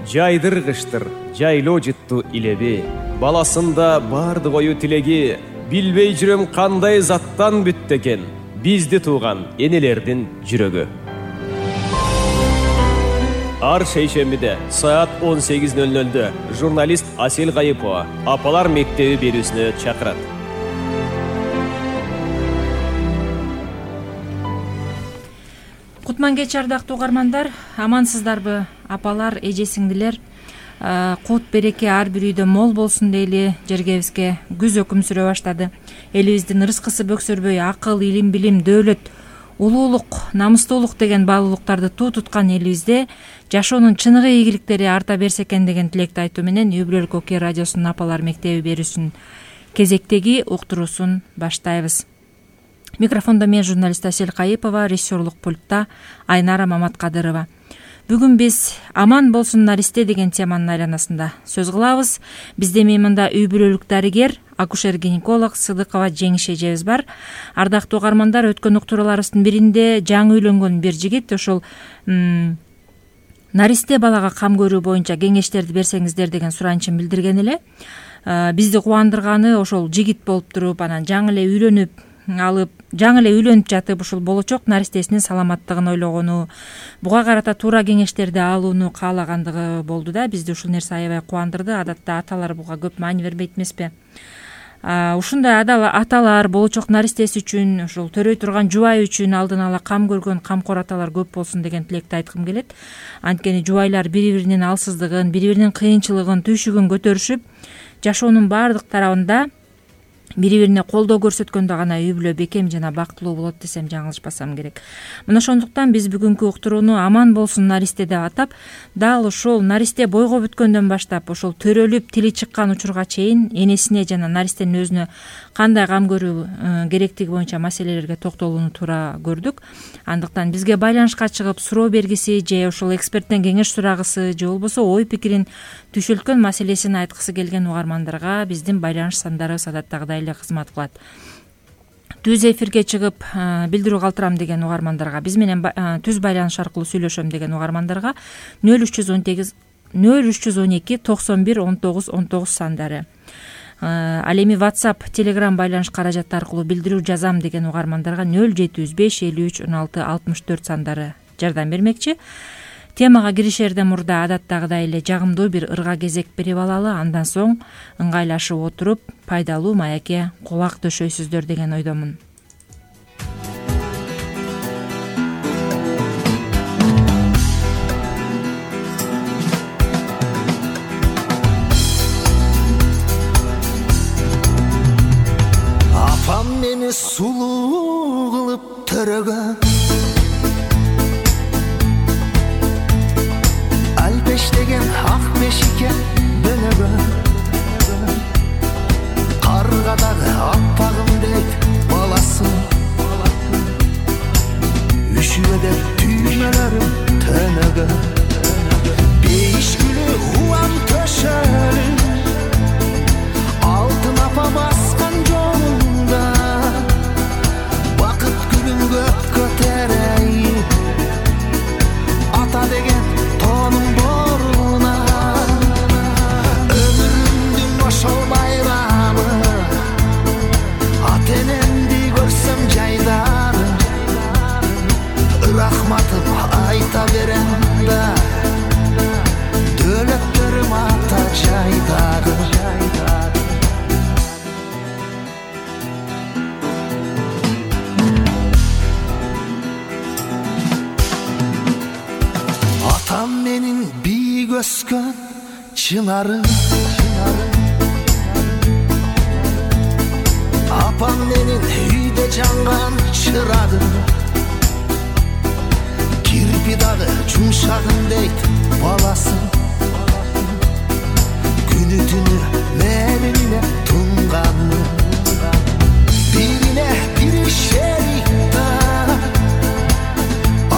Жайдыргыштыр, жайлоо жытту илеби. Баласында барды ою тилеги. Билбей жүрөм кандай заттан бүттү экен бизди тууган энелердин жүрөгү. Ар шейшембиде саат 18:00 журналист Асел Кайыпова апалар мектеби берүүсүнө чакырат. Кутман кеч ардактуу угармандар, амансыздарбы? Апалар, эже сиңдилер, кут береке ар бир үйдө мол болсун дейли. Жергебизге күз өкүм сүрө баштады. Элибиздин ырыскысы бөксөрбөй, акыл, илим, билим, дөөлөт, улуулук, намустуулук деген баалуулуктарды туу туткан элибизде жашоонун чыныгы ийгиликтери арта берсе экен деген тилекти айтуу менен Үй бүлөлүк Оке радиосунун апалар мектеби берүүсүн кезектеги уктуруусун баштайбыз. Микрофондо мен журналист Асел Кайыпова, режиссерлук пультта Айнара Маматкадырова. Бүгүн биз аман болсун наристе деген теманын айланасында сөз кылабыз. Бизде мында үй бүлөлүк дарыгер, акушер-гинеколог Сыдыкова Жеңиш эжебиз бар. Ардактуу угармандар, өткөн уктурууларыбыздын биринде жаңы үйлөнгөн бир жигит ошол наристе балага кам көрүү боюнча кеңештерди берсеңиздер деген суранычын билдирген эле. Бизди кубандырганы ошол жигит болуп туруп, анан жаңы эле үйлөнүп жатып ушул болочок наристесинин саламаттыгын ойлогону, буга карата туура кеңештерди алууну каалагандыгы болду да. Бизди ушул нерсе аябай кубандырды. Адатта аталар буга көп маани бербейт эмеспи? Ушундай аталар болочок наристеси үчүн, ушул төрөй турган жубай үчүн алдын ала кам көргөн камкор аталар көп болсун деген тилекти айткым келет. Анткени жубайлар бири-биринин алсыздыгын, бири-биринин кыйынчылыгын, түйшүгүн көтөрүшүп, жашоонун баардык тарабында бири-бирине колдоо көрсөткөндө гана үй бүлө бекем жана бактылуу болот десем жаңылышпасам керек. Мына ошондуктан биз бүгүнкү уктурууну аман болсун наристе деп атап, дал ошол наристе бойго бүткөндөн баштап ошол төрөлүп тили чыккан учурга чейин энесине жана наристенин өзүнө кандай кам көрүү керектиги боюнча маселелерге токтолууну туура көрдүк. Андыктан бизге байланышка чыгып суроо бергиси же ошол эксперттен кеңеш сурагысы же болбосо ой пикирин түшүлткөн маселесин айткысы келген угармандарга биздин байланыш сандарыбыз адаттагыдай эле кызмат кылат. Түз эфирге чыгып билдирүү калтырам деген угармандарга, биз менен түз байланыш аркылуу сүйлөшөм деген угармандарга 0312 91 19 19 сандары. Ал эми WhatsApp, Telegram байланыш каражаты аркылуу билдирүү жазам деген угармандарга 0705 53 16 64 сандары жардам бермекчи. Темага киришерден мурда адаттагыдай эле жагымдуу бир ырга кезек берип алалы, андан соң ыңгайлашып отуруп пайдалуу маекке кулак төшөйсүздөр деген ойдомун. Апам мени сулуу кылып төрөгөн, албештеген ак мешикке бөлөгөн, каргадагы аппагым дейт баласы, үшүбөдө түймөлөрүм төнөгөн, бейишкүлү уам төшөлү, алтын апа баскан жолунда, бакыт гүлүн көп көтөрөйүп, ата деген тонум боруна, өмүрүмдүн ошол байрамы, ата энемди көрсөм жайдары, рахматым айта берем да, дөөлөттөрүм ата жайдары. Атам менин бийик өскөн чынарым, апам менин үйдө жанган чырагым, кирпи дагы жумшагым дейт баласы, күнү түнү менин тунганы, бирине бири шерик да,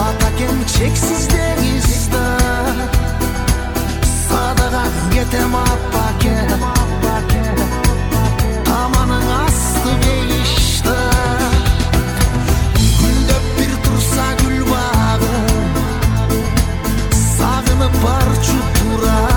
ата кен чексиз деңизда, садаган кетем апа кен, таманың асты бейишта, гүлдөп бир турса гүл багым, сагынып барчу тура,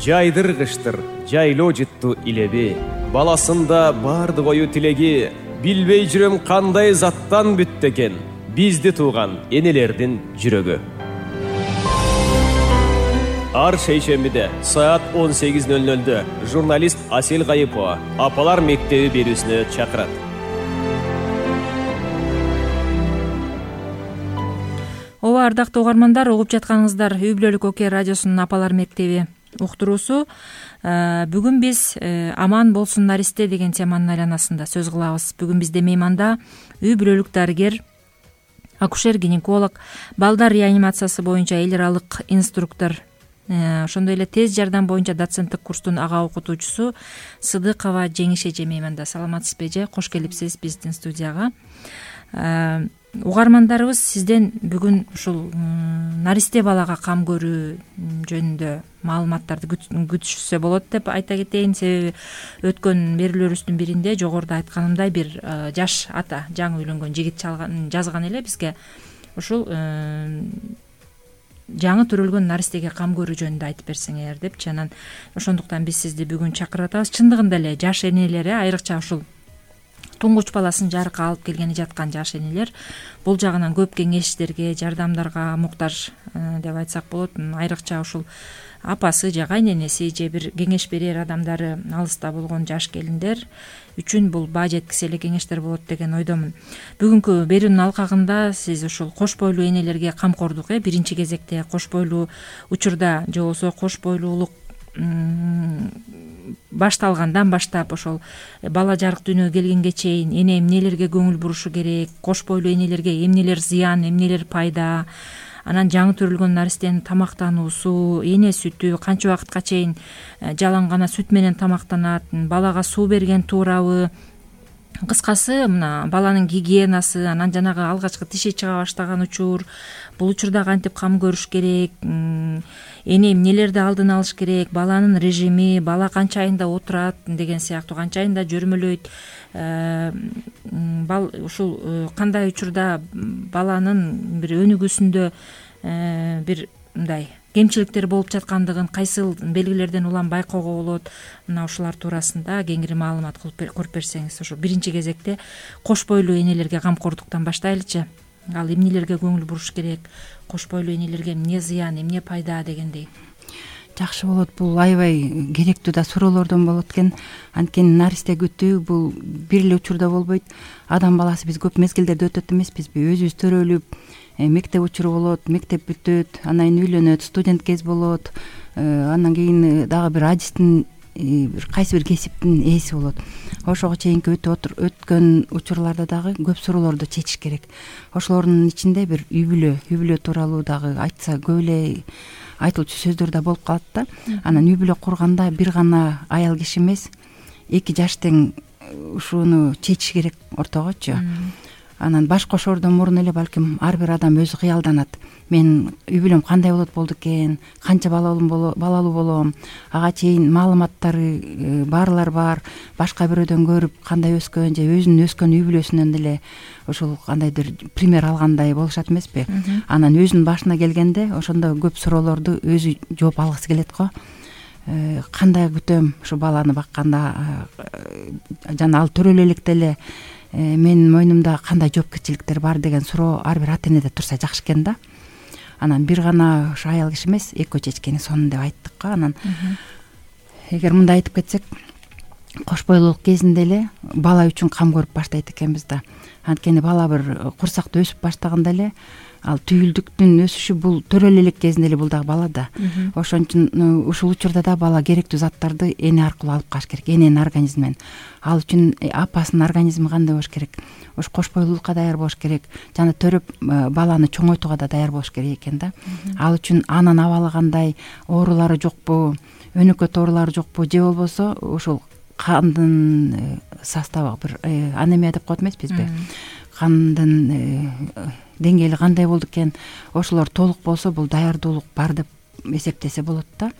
жайдыргычтыр жайлоо жыттуу илеби, баласында бардык ою тилеги, билбей жүрөм кандай заттан бүттү экен бизди тууган энелердин жүрөгү. Ар шейшембиде саат 18:00 журналист Асел Гайыпова апалар мектеби берүүсүнө чакырат. Ооба, ардактуу угармандар, угуп жатканыңыздар Үй бүлөлүк окуя радиосунун апалар мектеби уктуруусу. Бүгүн биз аман болсун наристе деген теманын айланасында сөз кылабыз. Бүгүн бизде мейманда үй бүлөлүк дарыгер, акушер-гинеколог, балдар реанимациясы боюнча эл аралык инструктор, ошондой эле тез жардам боюнча доценттик курстун ага окутуучусу Сыдыкова Жеңиш эже мейманда. Саламатсызбы эже? Кош келипсиз биздин студияга. Угармандарыбыз сизден бүгүн ушул наристе балага кам көрүү жөнүндө маалыматтарды күтүшсө болот деп айта кетейин. Себеби өткөн берүүлөрүбүздүн биринде жогоруда айтканымдай бир жаш ата, жаңы үйлөнгөн жигит жазган эле бизге ушул жаңы төрөлгөн наристеге кам көрүү жөнүндө айтып берсеңер депчи. Анан ошондуктан биз сизди бүгүн чакырып атабыз. Чындыгында эле жаш энелер, айрыкча ушул туңгуч баласын жарыкка алып келгени жаткан жаш энелер бул жагынан көп кеңештерге, жардамдарга муктаж деп айтсак болот. Айрыкча ушул апасы же кайненеси же бир кеңеш берер адамдары алыста болгон жаш келиндер үчүн бул баа жеткисе эле кеңештер болот деген ойдомун. Бүгүнкү берүүнүн алкагында сиз ушул кош бойлуу энелерге камкордук, биринчи кезекте кош бойлуу учурда же болбосо кош бойлуулук башталгандан баштап ошол бала жарык дүйнөгө келгенге чейин эне эмнелерге көңүл бурушу керек, кош бойлуу энелерге эмнелер зыян, эмнелер пайда, анан жаңы төрөлгөн наристенин тамактануусу, эне сүтү канча убакытка чейин жалаң гана сүт менен тамактанат, балага суу берген туурабы, кыскасы мына баланын гигиенасы, анан жанагы алгачкы тиши чыга баштаган учур, бул учурда кантип кам көрүш керек, эне эмнелерди алдын алыш керек, баланын режими, бала канча айында отурат деген сыяктуу, канча айында жөрмөлөйт, ушул кандай учурда баланын бир өнүгүүсүндө бир мындай кемчиликтер болуп жаткандыгын кайсыл белгилерден улам байкоого болот, мына ушулар туурасында кеңири маалымат көрүп берсеңиз. Ошо биринчи кезекте кош бойлуу энелерге камкордуктан баштайлычы. Ал эмнелерге көңүл буруш керек, кош бойлуу энелерге эмне зыян, эмне пайда дегендей. Жакшы болот, бул аябай керектүү да суроолордон болот экен. Анткени наристе күтүү бул бир эле учурда болбойт. Адам баласы биз көп мезгилдерде өтөт эмеспизби? Өзүбүз төрөлүп, мектеп учуру болот, мектеп бүтөт, анан кийин үйлөнөт, студент кез болот, андан кийин дагы бир адистин кайсы бир кесиптин ээси болот. Ошого чейинки өткөн учурларда дагы көп суроолорду чечиш керек. Ошолордун ичинде бир үй бүлө тууралуу дагы айтса көп эле айтылчу сөздөр да болуп калат да. Анан үй бүлө курганда бир гана аял киши эмес, эки жаш тең ушуну чечиш керек ортогочу. Анан баш кошоордон мурун эле балким ар бир адам өзү кыялданат. Мен үй бүлөм кандай болду экен, канча балалуу болом, ага чейин маалыматтары баарлар бар, башка бирөөдөн көрүп кандай өскөн же өзүнүн өскөн үй бүлөсүнөн деле ошол кандайдыр пример алгандай болушат эмеспи? Анан өзүнүн башына келгенде ошондо көп суроолорду өзү жооп алгысы келет го. Кандай күтөм ушу баланы бакканда, жана ал төрөлө электе эле менин мойнумда кандай жоопкерчиликтер бар деген суроо ар бир ата энеде турса жакшы экен да. Анан бир гана ушу аял киши эмес, экөө чечкени сонун деп айттык го. Анан эгер мындай айтып кетсек, кош бойлуулук кезинде эле бала үчүн кам көрүп баштайт экенбиз да. Анткени бала бир курсакта өсүп баштаганда эле ал түйүлдүктүн өсүшү бул төрөлө элек кезинде эле бул дагы бала да. Ошон үчүн ушул учурда да бала керектүү заттарды эне аркылуу алып калыш керек, эненин организминен. Ал үчүн апасынын организми кандай болуш керек? Ош кош бойлуулукка даяр болуш керек, жана төрөп баланы чоңойтууга да даяр болуш керек экен да. Ал үчүн анын абалы кандай, оорулары жокпу, өнөкөт оорулары жокпу, же болбосо ушул кандын составы бир анемия деп коет эмеспизби? Кандын деңгээли кандай болду экен, ошолор толук болсо бул даярдуулук бар деп эсептесе болот да.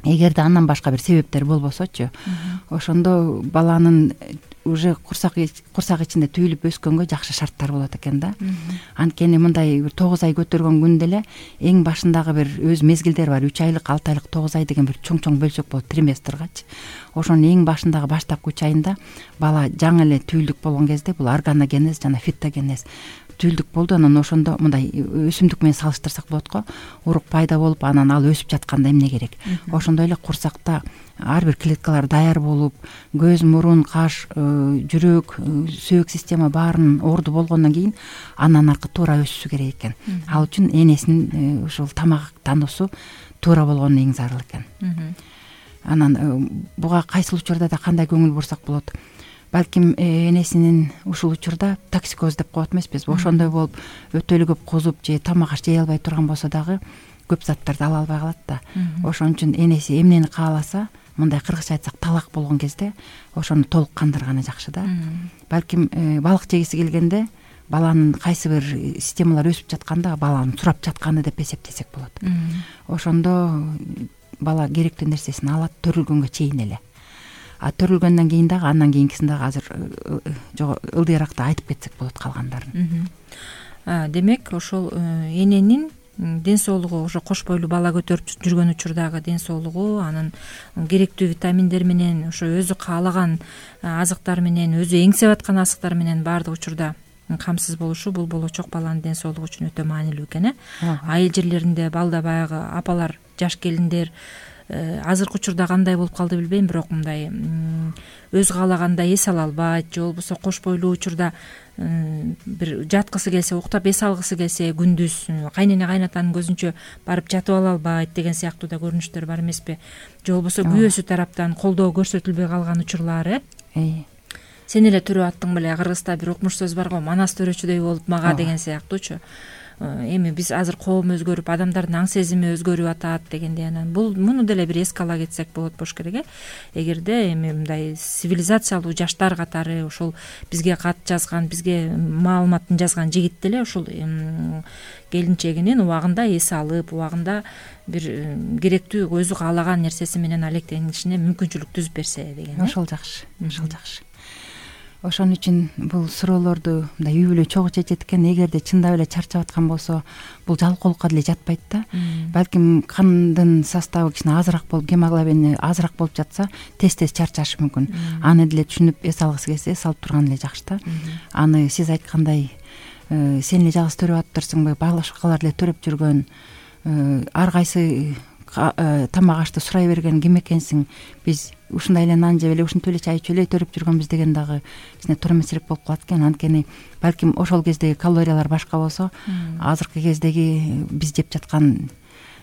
Эгерде андан башка бир себептер болбосочу, ошондо баланын уже курсак ичинде түйүлүп өскөнгө жакшы шарттар болот экен да. Анткени мындай бир 9 ай көтөргөн күндө эле эң башындагы бир өз мезгилдери бар. 3 айлык, 6 айлык, 9 ай деген бир чоң бөлсөк болот триместргачы. Ошонун эң башындагы баштапкы 3 айында бала жаңы эле түйүлдүк болгон кезде бул органогенез жана фитогенез түйүлдүк болду. Анан ошондо мындай өсүмдүк менен салыштырсак болот го. Урук пайда болуп, анан ал өсүп жатканда эмне керек? Ошондой эле курсакта ар бир клеткалар даяр болуп, көз, мурун, каш, жүрөк, сөөк система баарынын орду болгондон кийин андан аркы туура өсүшү керек экен. Ал үчүн энесинин ушул тамак тануусу туура болгону эң зарыл экен. Анан буга кайсыл учурда да кандай көңүл бурсак болот? Балким энесинин ушул учурда токсикоз деп коет эмеспизби? Ошондой болуп өтө эле көп кузуп же тамак аш жей албай турган болсо дагы көп заттарды ала албай калат да. Ошон үчүн энеси эмнени кааласа, мындай кыргызча айтсак талак болгон кезде ошону толук кандырганы жакшы да. Балким балык жегиси келгенде баланын кайсы бир системалар өсүп жатканда баланын сурап жатканы деп эсептесек болот. Ошондо бала керектүү нерсесин алат төрөлгөнгө чейин эле. Төрөлгөндөн кийин дагы андан кийинкисин дагы азыр ылдыйракта айтып кетсек болот калгандарын. Демек ошол эненин ден соолугу, ошо кош бойлуу бала көтөрүп жүргөн учурдагы ден соолугу, анын керектүү витаминдер менен, ошо өзү каалаган азыктар менен, өзү эңсеп аткан азыктар менен баардык учурда камсыз болушу бул болочок баланын ден соолугу үчүн өтө маанилүү экен. Айыл жерлеринде балда баягы апалар, жаш келиндер азыркы учурда кандай болуп калды билбейм, бирок мындай өз каалагандай эс ала албайт, же болбосо кош бойлуу учурда бир жаткысы келсе, уктап эс алгысы келсе, күндүз кайнене кайнатанын көзүнчө барып жатып ала албайт деген сыяктуу да көрүнүштөр бар эмеспи? Же болбосо күйөөсү тараптан колдоо көрсөтүлбөй калган учурлар. Сен эле төрөп аттың беле, кыргызда бир укмуш сөз бар го, манас төрөчүдөй болуп мага деген сыяктуучу. Эми биз азыр коом өзгөрүп, адамдардын аң сезими өзгөрүп атат дегендей, анан муну деле бир эске ала кетсек болот болуш керек. Эгерде эми мындай цивилизациялуу жаштар катары ошол бизге кат жазган, бизге маалыматын жазган жигит деле ушул келинчегинин убагында эс алып, убагында бир керектүү өзү каалаган нерсеси менен алектенишине мүмкүнчүлүк түзүп берсе деген. Ошол жакшы, ошол жакшы. Ошон үчүн бул суроолорду мындай үй бүлө чогуу чечет экен. Эгерде чындап эле чарчап аткан болсо, бул жалкоолукка деле жатпайт да. Балким кандын составы кичине азыраак болуп, гемоглобини азыраак болуп жатса, тез чарчашы мүмкүн. Аны деле түшүнүп эс алгысы келсе, эс алып турган эле жакшы да. Аны сиз айткандай сен эле жалгыз төрөп атыптырсыңбы, башкалар эле төрөп жүргөн, ар кайсы тамак ашты сурай берген ким экенсиң, биз ушундай эле нан жеп эле, ушинтип эле чай ичип эле төрөп жүргөнбүз деген дагы кичине туура эмесирээк болуп калат экен. Анткени балким ошол кездеги калориялар башка болсо, азыркы кездеги биз жеп жаткан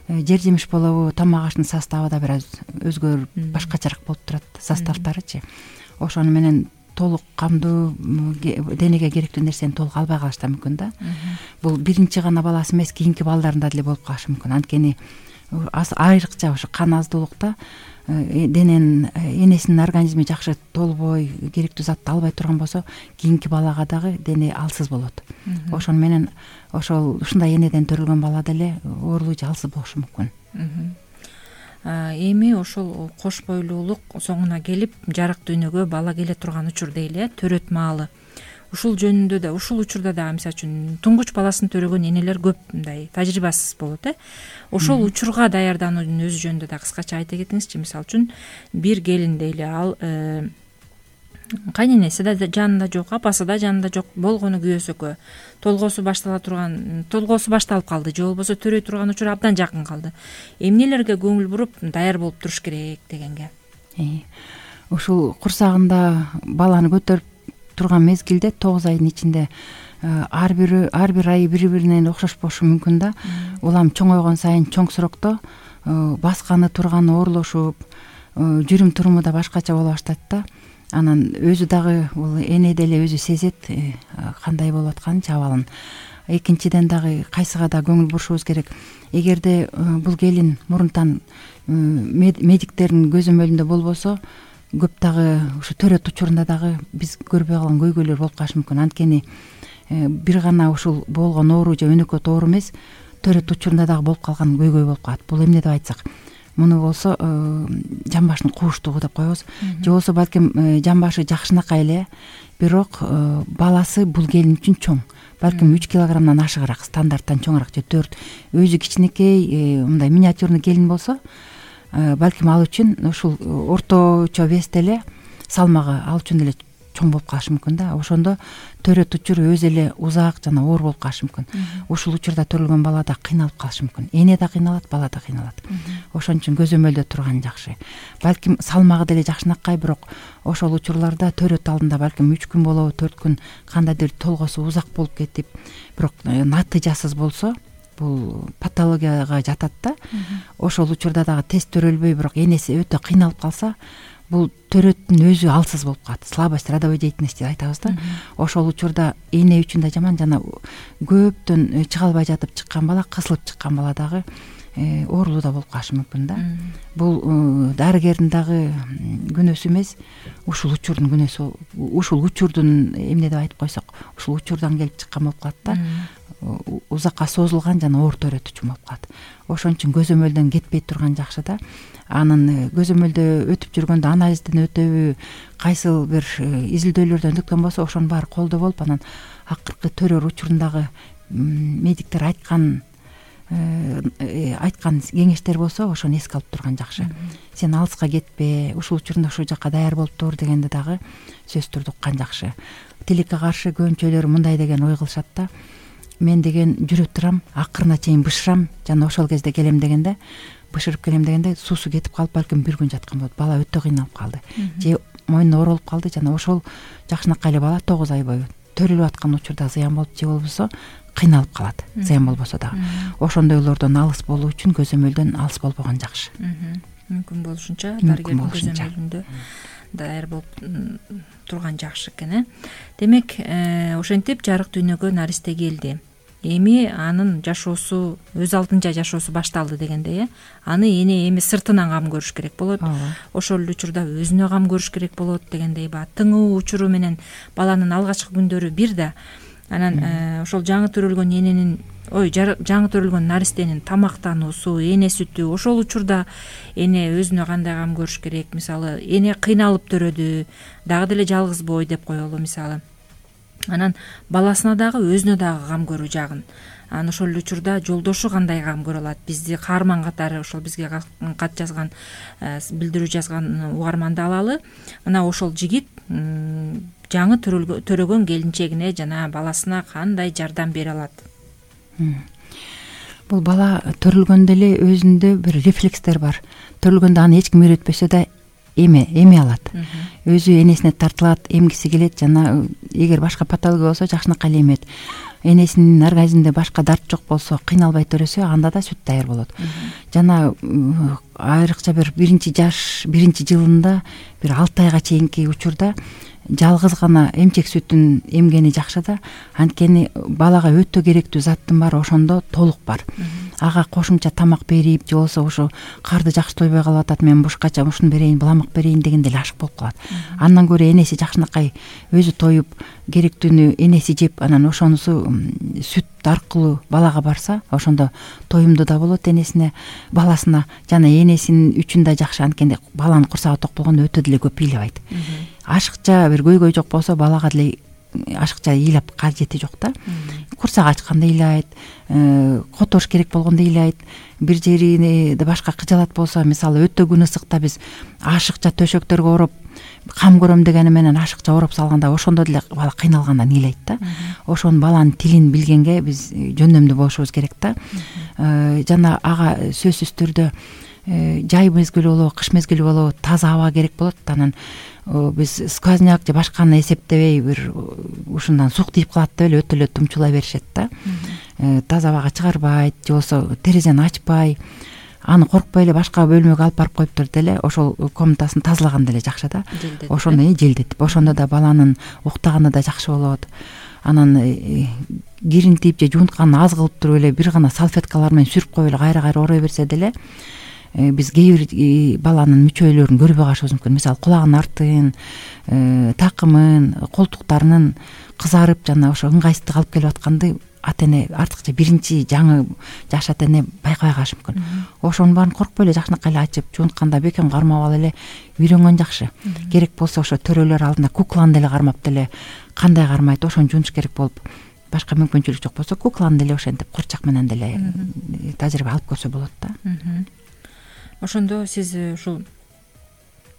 жер жемиш болобу, тамак аштын составы да бир аз өзгөрүп, башкачараак болуп турат, составтарычы. Ошону менен толук камдуу денеге керектүү нерсени толук албай калыш да мүмкүн да. Бул биринчи гана баласы эмес, кийинки балдарында деле болуп калышы мүмкүн. Анткени айрыкча ошо кан аздуулукта энесинин организми жакшы толбой, керектүү затты албай турган болсо, кийинки балага дагы дене алсыз болот. Ошону менен ушундай энеден төрөлгөн бала деле оорулуу же алсыз болушу мүмкүн. Эми ошол кош бойлуулук соңуна келип, жарык дүйнөгө бала келе турган учур дейли, төрөт маалы. Ушул жөнүндө да, ушул учурда да мисалы үчүн туңгуч баласын төрөгөн энелер көп мындай тажрыйбасыз болот. Ошол учурга даярдануунун өзү жөнүндө да кыскача айта кетиңизчи. Мисалы үчүн бир келин дейли, ал кайненеси да жанында жок, апасы да жанында жок болгону күйөөсөкө, толгоосу башталып калды, же болбосо төрөй турган учур абдан жакын калды. Эмнелерге көңүл буруп даяр болуп туруш керек дегенге? Ушул курсагында баланы көтөрүп турган мезгилде 9 айдын ичинде ар бир айы бири-биринен окшош болушу мүмкүн да. Улам чоңойгон сайын чоң сурокто басканы турганы оорлошуп, жүрүм туруму да башкача боло баштайт да. Анан өзү дагы бул эне деле өзү сезет кандай болуп атканын, абалын. Экинчиден дагы кайсыга да көңүл бурушубуз керек. Эгерде бул келин мурунтан медиктердин көзөмөлүндө болбосо, көп дагы ушу төрөт учурунда дагы биз көрбөй калган көйгөйлөр болуп калышы мүмкүн. Анткени бир гана ушул болгон оору же өнөкөт оору эмес, төрөт учурунда дагы болуп калган көйгөй болуп калат. Бул эмне деп айтсак, муну болсо жамбаштын кууштугу деп коебуз, же болбосо балким жамбашы жакшынакай эле, бирок баласы бул келин үчүн чоң, балким 3 килограммдан ашыгыраак, стандарттан чоңураак, же 4, өзү кичинекей мындай миниатюрный келин болсо, балким ал үчүн ушул орточо весте эле, салмагы ал үчүн эле чоң болуп калышы мүмкүн да. Ошондо төрөт учуру өзү эле узак жана оор болуп калышы мүмкүн. Ушул учурда төрөлгөн бала да кыйналып калышы мүмкүн. Эне да кыйналат, бала да кыйналат. Ошон үчүн көзөмөлдө турган жакшы. Балким салмагы деле жакшынакай, бирок ошол учурларда төрөт алдында балким 3 күн болобу, 4 күн кандайдыр толгосу узак болуп кетип, бирок натыйжасыз болсо, бул патологияга жатат да. Ошол учурда дагы тест төрөлбөй, бирок энеси өтө кыйналып калса, бул төрөттүн өзү алсыз болуп калат. Слабость родовой деятельности деп айтабыз да. Ошол учурда эне үчүн да жаман, жана көптөн чыга албай жатып чыккан бала, кысылып чыккан бала дагы оорулуу да болуп калышы мүмкүн да. Бул дарыгердин дагы күнөөсү эмес, ушул учурдун күнөөсү. Ушул учурдун эмне деп айтып койсок, ушул учурдан келип чыккан болуп калат да. Узакка созулган жана оор төрөт үчүн болуп калат. Ошон үчүн көзөмөлдөн кетпей турган жакшы да. Анын көзөмөлдө өтүп жүргөндө анализден өтөбү, кайсыл бир изилдөөлөрдөн өткөн болсо, ошонун баары колдо болуп, анан акыркы төрөр учурундагы медиктер айткан кеңештер болсо, ошону эске алып турган жакшы. Сен алыска кетпе, ушул учурунда ушул жакка даяр болуп тур дегенди дагы сөз түрдү уккан жакшы. Тилекке каршы көбүнчөлөр мындай деген ой кылышат да. Мен деген жүрө турам, акырына чейин бышырам, жана ошол кезде келем дегенде, бышырып келем дегенде суусу кетип калып, балким 1 күн жаткан болот. Бала өтө кыйналып калды. Же мойнуна ооролуп калды, жана ошол жакшынакай эле бала 9 ай бою төрөлүп аткан учурда зыян болуп, же болбосо кыйналып калат, зыян болбосо дагы. Ошондойлордон алыс болуу үчүн көзөмөлдөн алыс болбогон жакшы. Мүмкүн болушунча дарыгердин көзөмөлүндө даяр болуп турган жакшы экен. Демек, ошентип жарык дүйнөгө наристе келди. Эми анын жашоосу, өз алдынча жашоосу башталды дегенде, аны эми сыртынан кам көрүш керек болот. Ошол эле учурда өзүнө кам көрүш керек болот дегендей ба. Тыңоо учуру менен баланын алгачкы күндөрү бир да. Анан ошол жаңы төрөлгөн эненин, жаңы төрөлгөн наристенин тамактануусу, эне сүтү, ошол учурда эне өзүнө кандай кам көрүш керек? Мисалы, эне кыйналып төрөдү, дагы деле жалгыз бой деп коелу мисалы. Анан баласына дагы, өзүнө дагы кам көрүү жагын. Анан ошол учурда жолдошу кандай кам көрө алат? Бизди каарман катары, ошол бизге кат жазган, билдирүү жазган угарманды алалы. Мына ошол жигит жаңы төрөгөн келинчегине жана баласына кандай жардам бере алат? Бул бала төрөлгөндө эле өзүндө бир рефлекстер бар. Төрөлгөндө аны эч ким үйрөтпөсө да эме алат. Өзү энесине тартылат, эмгиси келет, жана эгер башка патология болсо жакшынакай эле эмет. Энесинин организминде башка дарт жок болсо, кыйналбай төрөсө, анда да сүт даяр болот. Жана айрыкча бир биринчи жылында, бир 6 айга чейинки учурда жалгыз гана эмчек сүтүн эмгени жакшы да. Анткени балага өтө керектүү заттын баары ошондо толук бар. Ага кошумча тамак берип, же болбосо ошо карды жакшы тойбой калып атат, мен бушкача ушуну берейин, буламак берейин дегенде эле ашык болуп калат. Андан көрө энеси жакшынакай өзү тоюп, керектүүнү энеси жеп, анан ошонусу сүт аркылуу балага барса, ошондо тоюмдуу да болот энесине, баласына, жана энесинин үчүн да жакшы. Анткени баланын курсагы ток болгондо өтө деле көп ыйлабайт. Ашыкча бир көйгөй жок болсо, балага деле ашыкча ыйлап кажети жок да. Курсак ачканда ыйлайт, которуш керек болгондо ыйлайт. Бир жерине башка кыжалат болсо, мисалы өтө күн ысыкта биз ашыкча төшөктөргө ороп кам көрөм дегени менен ашыкча ороп салганда, ошондо деле бала кыйналгандан ыйлайт да. Ошонун баланын тилин билгенге биз жөндөмдүү болушубуз керек да. Жана ага сөзсүз түрдө жай мезгили болобу, кыш мезгили болобу, таза аба керек болот. Анан биз сквозняк же башканы эсептебей, бир ушундан сук тийип калат деп эле өтө эле тумчулай беришет да. Таза абага чыгарбайт, же болбосо терезени ачпай, аны коркпой эле башка бөлмөгө алып барып коюптур деле, ошол комнатасын тазалаган деле жакшы да. Ошондо желдетип, ошондо да баланын уктаганы да жакшы болот. Анан кирин тийип же жуунтканы аз кылып туруп эле бир гана салфеткалар менен сүрүп коюп эле кайра орой берсе деле, биз кээ бир баланын мүчөйлөрүн көрбөй калышыбыз мүмкүн. Мисалы, кулагынын артын, такымын, колтуктарынын кызарып жана ошо ыңгайсыздык алып келип атканды ата эне артыкча биринчи жаңы жаш ата эне байкабай калышы мүмкүн. Ошонун баарын коркпой эле жакшынакай эле ачып жуунтканда бекем кармап алып эле үйрөнгөн жакшы. Керек болсо ошо төрөлөр алдында кукланы деле кармап деле кандай кармайт ошону жуунуш керек болуп, башка мүмкүнчүлүк жок болсо кукланы деле ошентип курчак менен деле тажрыйба алып көрсө болот да. Ошондо сиз ушул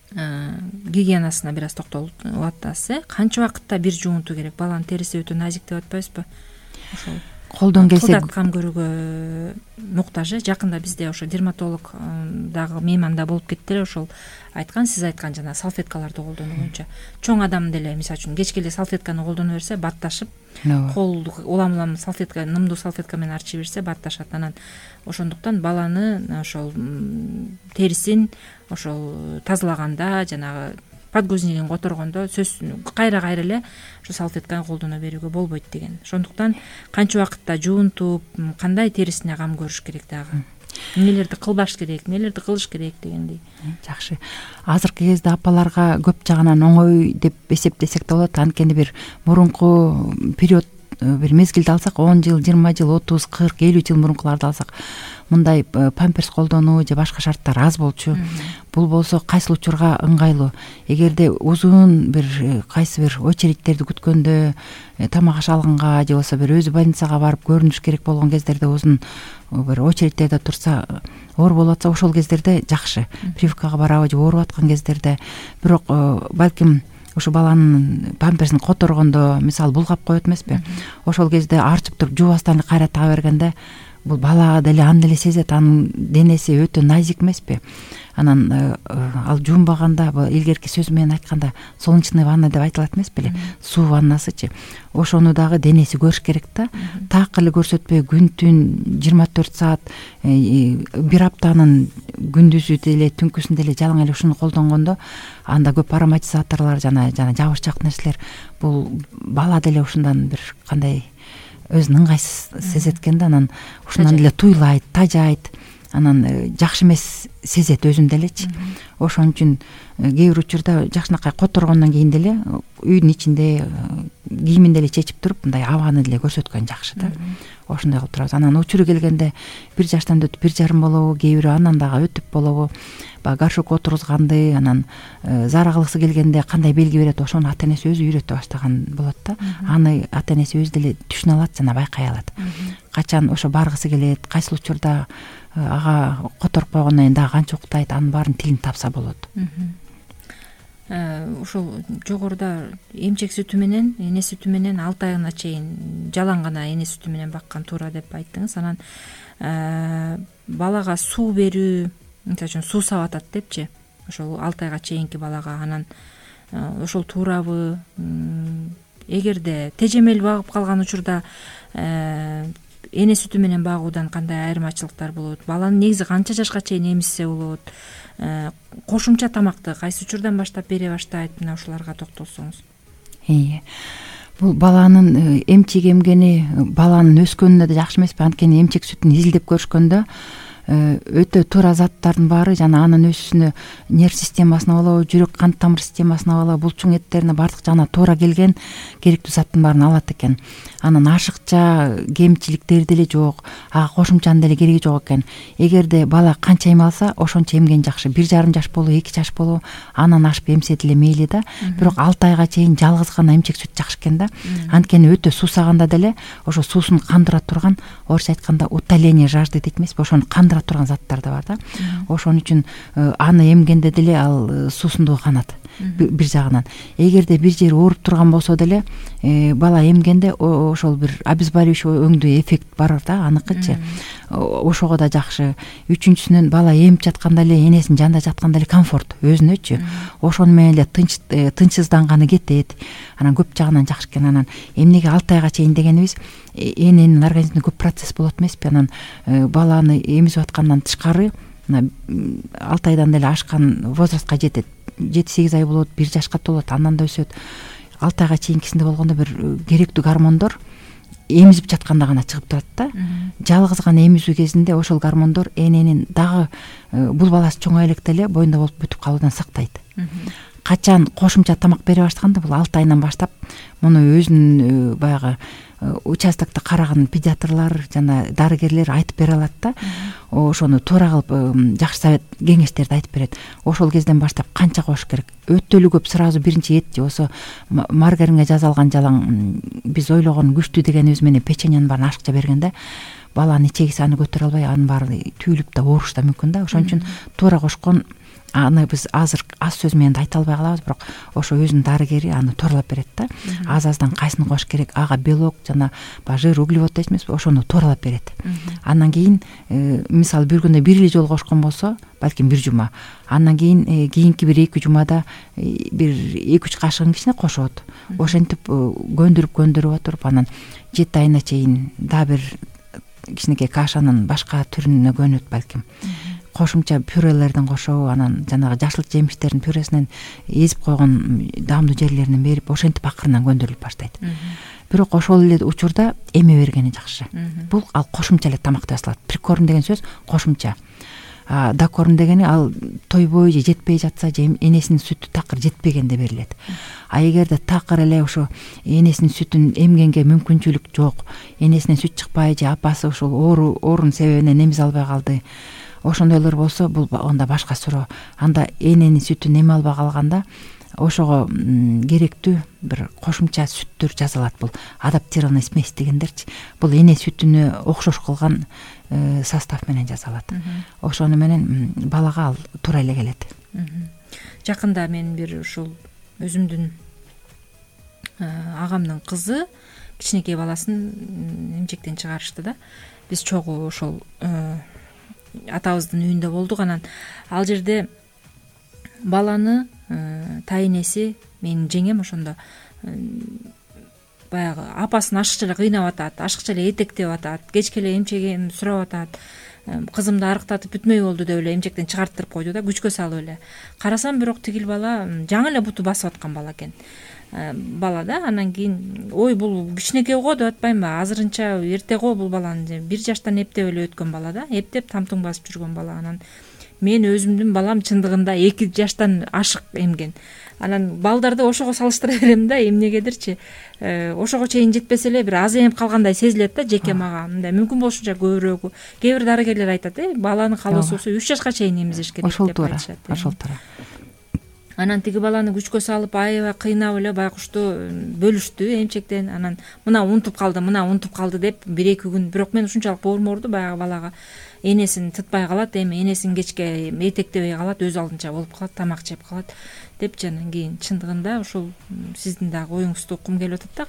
гигиенасына бир аз токтолуп атасыз. Канча убакытта бир жуунтуу керек? Баланын териси өтө назик деп атпайбызбы? Ошол колдон келсе кылдат кам көрүүгө муктаж. Жакында бизде ошо дерматолог дагы мейманда болуп кетти эле, ошол айткан, сиз айткан жана салфеткаларды колдонуу боюнча. Чоң адам деле мисалы үчүн кечке эле салфетканы колдоно берсе батташып, колду улам салфетка, нымдуу салфетка менен арчы берсе батташат. Анан ошондуктан баланы ошол терисин ошол тазалаганда жанагы подгузнигин которгондо кайра эле ошо салфетканы колдоно берүүгө болбойт деген. Ошондуктан канча убакытта жуунтуп, кандай терисине кам көрүш керек дагы? Эмнелерди кылбаш керек, эмнелерди кылыш керек дегендей. Жакшы. Азыркы кезде апаларга көп жагынан оңой деп эсептесек да болот. Анткени бир мурунку период, бир мезгилди алсак, 10 жыл, 20 жыл, 30, 40, 50 жыл мурункуларды алсак, мындай памперс колдонуу же башка шарттар аз болчу. Бул болсо кайсыл учурга ыңгайлуу. Эгерде узун бир кайсы бир очередьтерди күткөндө, тамак аш алганга же болбосо бир өзү больницага барып көрүнүш керек болгон кездерде узун бир очередьтерде турса, оор болуп атса, ошол кездерде жакшы. Прививкага барабы же ооруп аткан кездерде. Бирок балким ушу баланын памперсин которгондо, мисалы булгап коет эмеспи? Ошол кезде арчып туруп жуубастан эле кайра тага бергенде, бул бала деле аны деле сезет, анын денеси өтө назик эмеспи? Анан ал жуунбаганда, илгерки сөз менен айтканда, солнечный ванна деп айтылат эмес беле? Суу ваннасычы. Ошону дагы денеси көрүш керек да. Так эле көрсөтпөй күн-түн 24 саат, бир аптанын күндүзү деле, түнкүсүн деле жалаң эле ушуну колдонгондо, анда көп ароматизаторлор жана жабышчак нерселер, бул бала деле ушундан бир кандай өзүн ыңгайсыз сезет экен да. Анан ушундан деле туйлайт, тажайт. Анан жакшы эмес сезет өзүн делечи. Ошон үчүн кээ бир учурда жакшынакай которгондон кийин деле үйдүн ичинде кийимин деле чечип туруп, мындай абаны деле көрсөткөн жакшы да. Ошондой кылып турабыз. Анан учуру келгенде 1 жаштан өтүп 1,5 болобу, кээ бири андан дагы өтүп болобу, баягы горшок отургузганды, анан зара кылгысы келгенде кандай белги берет, ошону ата энеси өзү үйрөтө баштаган болот да. Аны ата энеси өзү деле түшүнө алат жана байкай алат. Качан ошо баргысы келет, кайсыл учурда ага которуп койгондон кийин дагы канча уктайт, анын баарын тилин тапса болот. Ушул жогоруда эмчек сүтү менен, эне сүтү менен 6 айына чейин жалаң гана эне сүтү менен баккан туура деп айттыңыз. Анан балага суу берүү, мисалы үчүн суу сап атат депчи, ошол 6 айга чейинки балага, анан ошол туурабы? Эгерде тежемел багып калган учурда эне сүтү менен багуудан кандай айырмачылыктар болот? Баланы негизи канча жашка чейин эмизсе болот? Кошумча тамакты кайсы учурдан баштап бере баштайт? Мына ушуларга токтолсоңуз. Бул баланын эмчек эмгени баланын өскөнүнө да жакшы эмеспи? Анткени эмчек сүтүн изилдеп көрүшкөндө өтө туура заттардын баары жана анын өсүүсүнө, нерв системасына болобу, жүрөк кан тамыр системасына болобу, булчуң эттерине бардык жана туура келген керектүү заттын баарын алат экен. Анан ашыкча кемчиликтери деле жок, ага кошумчанын деле кереги жок экен. Эгерде бала канча эме алса, ошончо эмген жакшы. 1,5 жаш болобу, 2 жаш болобу, анан ашып эмсе деле мейли да. Бирок 6 айга чейин жалгыз гана эмчек сүт жакшы экен да. Анткени өтө суусаганда деле ошо суусун кандыра турган, орусча айтканда утоление жажды дейт эмеспи? Ошону кандыра турган заттар да бар да. Ошон үчүн аны эмгенде деле ал суусундугу канат. Бир жагынан. Эгерде бир жери ооруп турган болсо деле, бала эмгенде ошол бир обезболивающий өңдүү эффект бар да, аныкычы. Ошого да жакшы. Үчүнчүсүнөн бала эмип жатканда эле, энесинин жанында жатканда эле комфорт өзүнөчү. Ошону менен эле тынчсызданганы кетет. Анан көп жагынан жакшы экен. Анан эмнеге 6 айга чейин дегенибиз, эненин организминде көп процесс болот эмеспи? Анан баланы эмизип аткандан тышкары 6 айдан деле ашкан возрастка жетет. 7-8 ай болот, 1 жашка толот, андан да өсөт. 6 айга чейинкисинде болгондо бир керектүү гормондор эмизип жатканда гана чыгып турат да. Жалгыз гана эмизүү кезинде ошол гормондор эненин дагы бул баласы чоңое электе эле боюнда болуп бүтүп калуудан сактайт. Качан кошумча тамак бере баштаганда, бул 6 айынан баштап муну өзүнүн баягы участокто караган педиатрлар жана дарыгерлер айтып бере алат да, ошону туура кылып жакшы совет кеңештерди айтып берет. Ошол кезден баштап канча кош керек, өтө эле көп сразу биринчи эт же болсо маргаринге жазалган жалаң биз ойлогон күчтүү дегенибиз менен печеньянын баарын ашыкча берген да, баланын ичеги аны көтөрө албай анын баары түйүлүп да ооруш да мүмкүн да. Ошон үчүн туура кошкон аны биз азыр аз сөз менен да айта албай калабыз, бирок ошо өзүнүн дарыгери аны тууралап берет да. Аз-аздан кайсыны кош керек, ага белок жана баягы жир, углевод дейсизби, ошону тууралап берет. Андан кийин мисалы бир күндө бир эле жолу кошкон болсо, балким бир жума, андан кийин кийинки бир 2 жумада бир 2-3 кашыгын кичине кошот. Ошентип көндүрүп отуруп, анан 7 айына чейин дагы бир кичинекей кашанын башка түрүнө көнөт балким. Кошумча пюрелерден кошобу, анан жанагы жашыл жемиштердин пюресинен эзип койгон даамдуу жерлеринен берип, ошентип акырынан көндүрүлүп баштайт. Бирок ошол эле учурда эме бергени жакшы. Бул ал кошумча эле тамак деп аталат. Прикорм деген сөз кошумча. Докорм дегени ал тойбой же жетпей жатса, же энесинин сүтү такыр жетпегенде берилет. А эгерде такыр эле ошо энесинин сүтүн эмгенге мүмкүнчүлүк жок, энесинен сүт чыкпай же апасы ошол оорунун себебинен эмизе албай калды, ошондойлор болсо, бул анда башка суроо. Анда эненин сүтүн эме албай калганда ошого керектүү бир кошумча сүттөр жасалат. Бул адаптированный смесь дегендерчи. Бул эне сүтүнө окшош кылган состав менен жасалат. Ошону менен балага ал туура эле келет. Жакында мен бир ушул өзүмдүн агамдын кызы кичинекей баласын эмчектен чыгарышты да. Биз чогуу ошол атабыздын үйүндө болдук. Анан ал жерде баланы тайнеси, менин жеңем ошондо баягы апасын ашыкча эле кыйнап атат, ашыкча эле этектеп атат, кечке эле эмчегин сурап атат. Кызымды арыктатып бүтмөй болду деп эле эмчектен чыгарттырып койду да, күчкө салып эле. Карасам бирок тигил бала жаңы эле буту басып аткан бала экен. Бала да. Анан кийин ой бул кичинекей го деп атпаймынбы, азырынча эрте го бул баланы, 1 жаштан эптеп эле өткөн бала да, эптеп тамтуң басып жүргөн бала. Анан мен өзүмдүн балам чындыгында 2 жаштан ашык эмген. Анан балдарды ошого салыштыра берем да, эмнегедирчи ошого чейин жетпесе эле бир аз эмип калгандай сезилет да жеке мага. Мындай мүмкүн болушунча көбүрөөгү. Кээ бир дарыгерлер айтат, баланын каалоосу болсо 3 жашка чейин эмизиш керек деп айтышат. Ошол туура. Анан тиги баланы күчкө салып аябай кыйнап эле байкушту бөлүштү эмчектен. Анан мына унутуп калды деп 1-2 күн. Бирок мен ушунчалык боорум оорду баягы балага. Энесин тытпай калат, эми энесин кечке этектебей калат, өз алдынча болуп калат, тамак жеп калат депчи. Анан кийин чындыгында ушул сиздин дагы оюңузду уккум келип атат да.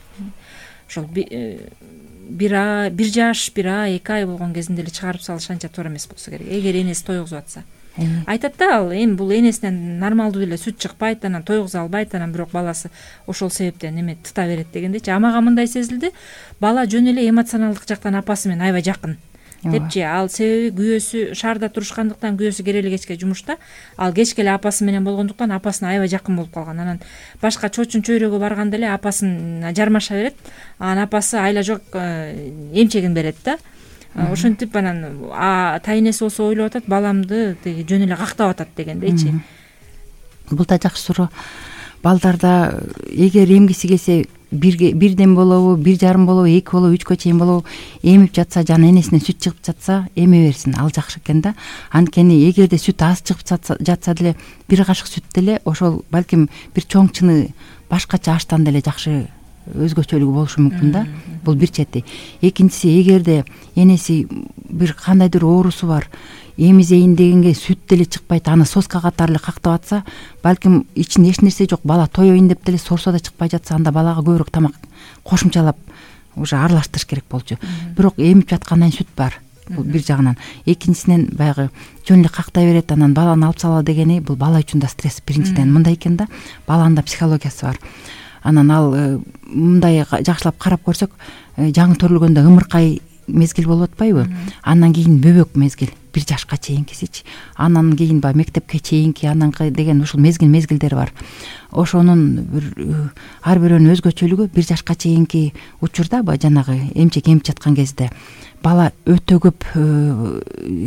Ошол 1 жаш, 1 ай, 2 ай болгон кезинде эле чыгарып салыш анча туура эмес болсо керек. Эгер энеси тойгузуп атса. Айтат да, ал эми бул энесинен нормалдуу эле сүт чыкпайт, анан тойгуза албайт, анан бирок баласы ошол себептен эме тыта берет дегендечи. Мага мындай сезилди, бала жөн эле эмоционалдык жактан апасы менен аябай жакын депчи. Ал себеби күйөөсү шаарда турушкандыктан, күйөөсү керели кечке жумушта, ал кечке эле апасы менен болгондуктан апасына аябай жакын болуп калган. Анан башка чочун чөйрөгө барганда эле апасын жармаша берет, анан апасы айла жок эмчегин берет да. Ошентип анан тайнеси болсо ойлоп атат, баламды тиги жөн эле кактап атат дегендейчи. Бул да жакшы суроо. Балдарда эгер эмгиси келсе бирден болобу, 1,5 болобу, 2 болобу, 3кө чейин болобу эмип жатса, жана энесинен сүт чыгып жатса, эме берсин, ал жакшы экен да. Анткени эгерде сүт аз чыгып жатса деле 1 кашык сүт деле ошол балким бир чоң чыны башкача аштан деле жакшы өзгөчөлүгү болушу мүмкүн да. Бул бир чети. Экинчиси, эгерде энеси бир кандайдыр оорусу бар, эмизейин дегенге сүт деле чыкпайт, аны соска катары эле кактап атса, балким ичинде эч нерсе жок, бала тоёйн деп деле сорсо да чыкпай жатса, анда балага көбүрөөк тамак кошумчалап уже аралаштырыш керек болчу. Бирок эмип жаткандан сүт бар. Бул бир жагынан. Экинчисинен баягы жөн эле кактай берет, анан баланы алып салалы дегени бул бала үчүн да стресс. Биринчиден мындай экен да, баланын да психологиясы бар. Анан ал мындай жакшылап карап көрсөк, жаңы төрөлгөндө ымыркай мезгил болуп атпайбы? Андан кийин бөбөк мезгил, 1 жашка чейинкисичи. Анан кийин баягы мектепке чейинки, анан деген ушул мезгилдер бар. Ошонун бир ар бирөөнүн өзгөчөлүгү 1 жашка чейинки учурда баягы жанагы эмчек эмип жаткан кезде бала өтө көп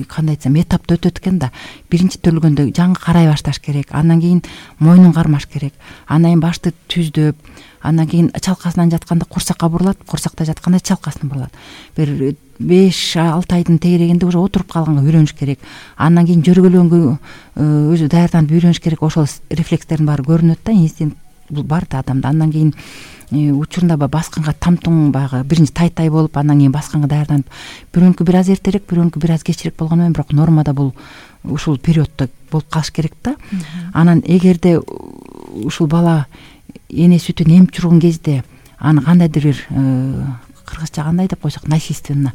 кандай айтсам этапты өтөт экен да. Биринчи төрөлгөндө жаңы карай башташ керек, андан кийин мойнун кармаш керек, андан кийин башты түздөп, андан кийин чалкасынан жатканда курсакка бурулат, курсакта жатканда чалкасын бурулат. Бир 5-6 айдын тегерегинде уже отуруп калганга үйрөнүш керек. Андан кийин жөргөлөнгө өзү даярданып үйрөнүш керек. Ошол рефлекстердин баары көрүнөт да, инстинкт бул бар да адамда. Андан кийин учурунда басканга тамтуң баягы биринчи тай болуп, андан кийин басканга даярданып, бирөөнүкү бир аз эртерээк, бирөөнүкү бир аз кечирээк болгону менен, бирок нормада бул ушул периоддо болуп калыш керек да. Анан эгерде ушул бала эне сүтүн эмип жүргөн кезде аны кандайдыр бир кыргызча кандай деп койсок, насильственно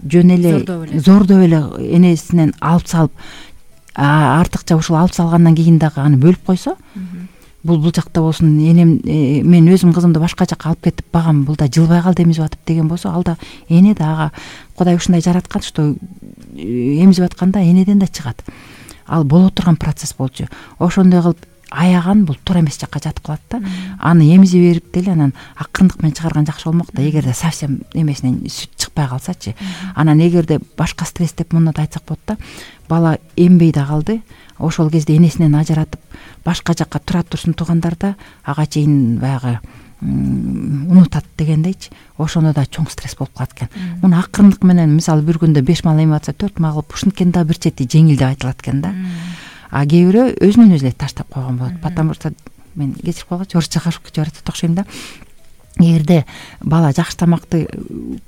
жөн эле зордоп эле энесинен алып салып, артыкча ушул алып салгандан кийин дагы аны бөлүп койсо, бул жакта болсун, энем мен өзүм кызымды башка жакка алып кетип багам, бул да жылбай калды эмизип атып деген болсо, ал да эне да, ага Кудай ушундай жараткан, что эмизип атканда энеден да чыгат. Ал боло турган процесс болчу. Ошондой кылып аяган бул туура эмес жакка жатып калат да. Аны эмизе берип деле анан акырындык менен чыгарган жакшы болмок да, эгерде совсем эмесинен сүт чыкпай калсачы. Анан эгерде башка стресс деп мындай айтсак болот да, бала эмбей да калды, ошол кезде энесинен ажыратып башка жакка тура турсун туугандарда, ага чейин баягы унутат дегендейчи, ошондо да чоң стресс болуп калат экен. Муну акырындык менен, мисалы бир күндө 5 мал эмип атса 4 мал кылып, ушинткен да бир чети жеңил деп айтылат экен да. А кээ бирөө өзүнөн өзү эле таштап койгон болот. Потому что мен кечирип койгочу, орусча кашып жатат окшойм да. Эгерде бала жакшы тамакты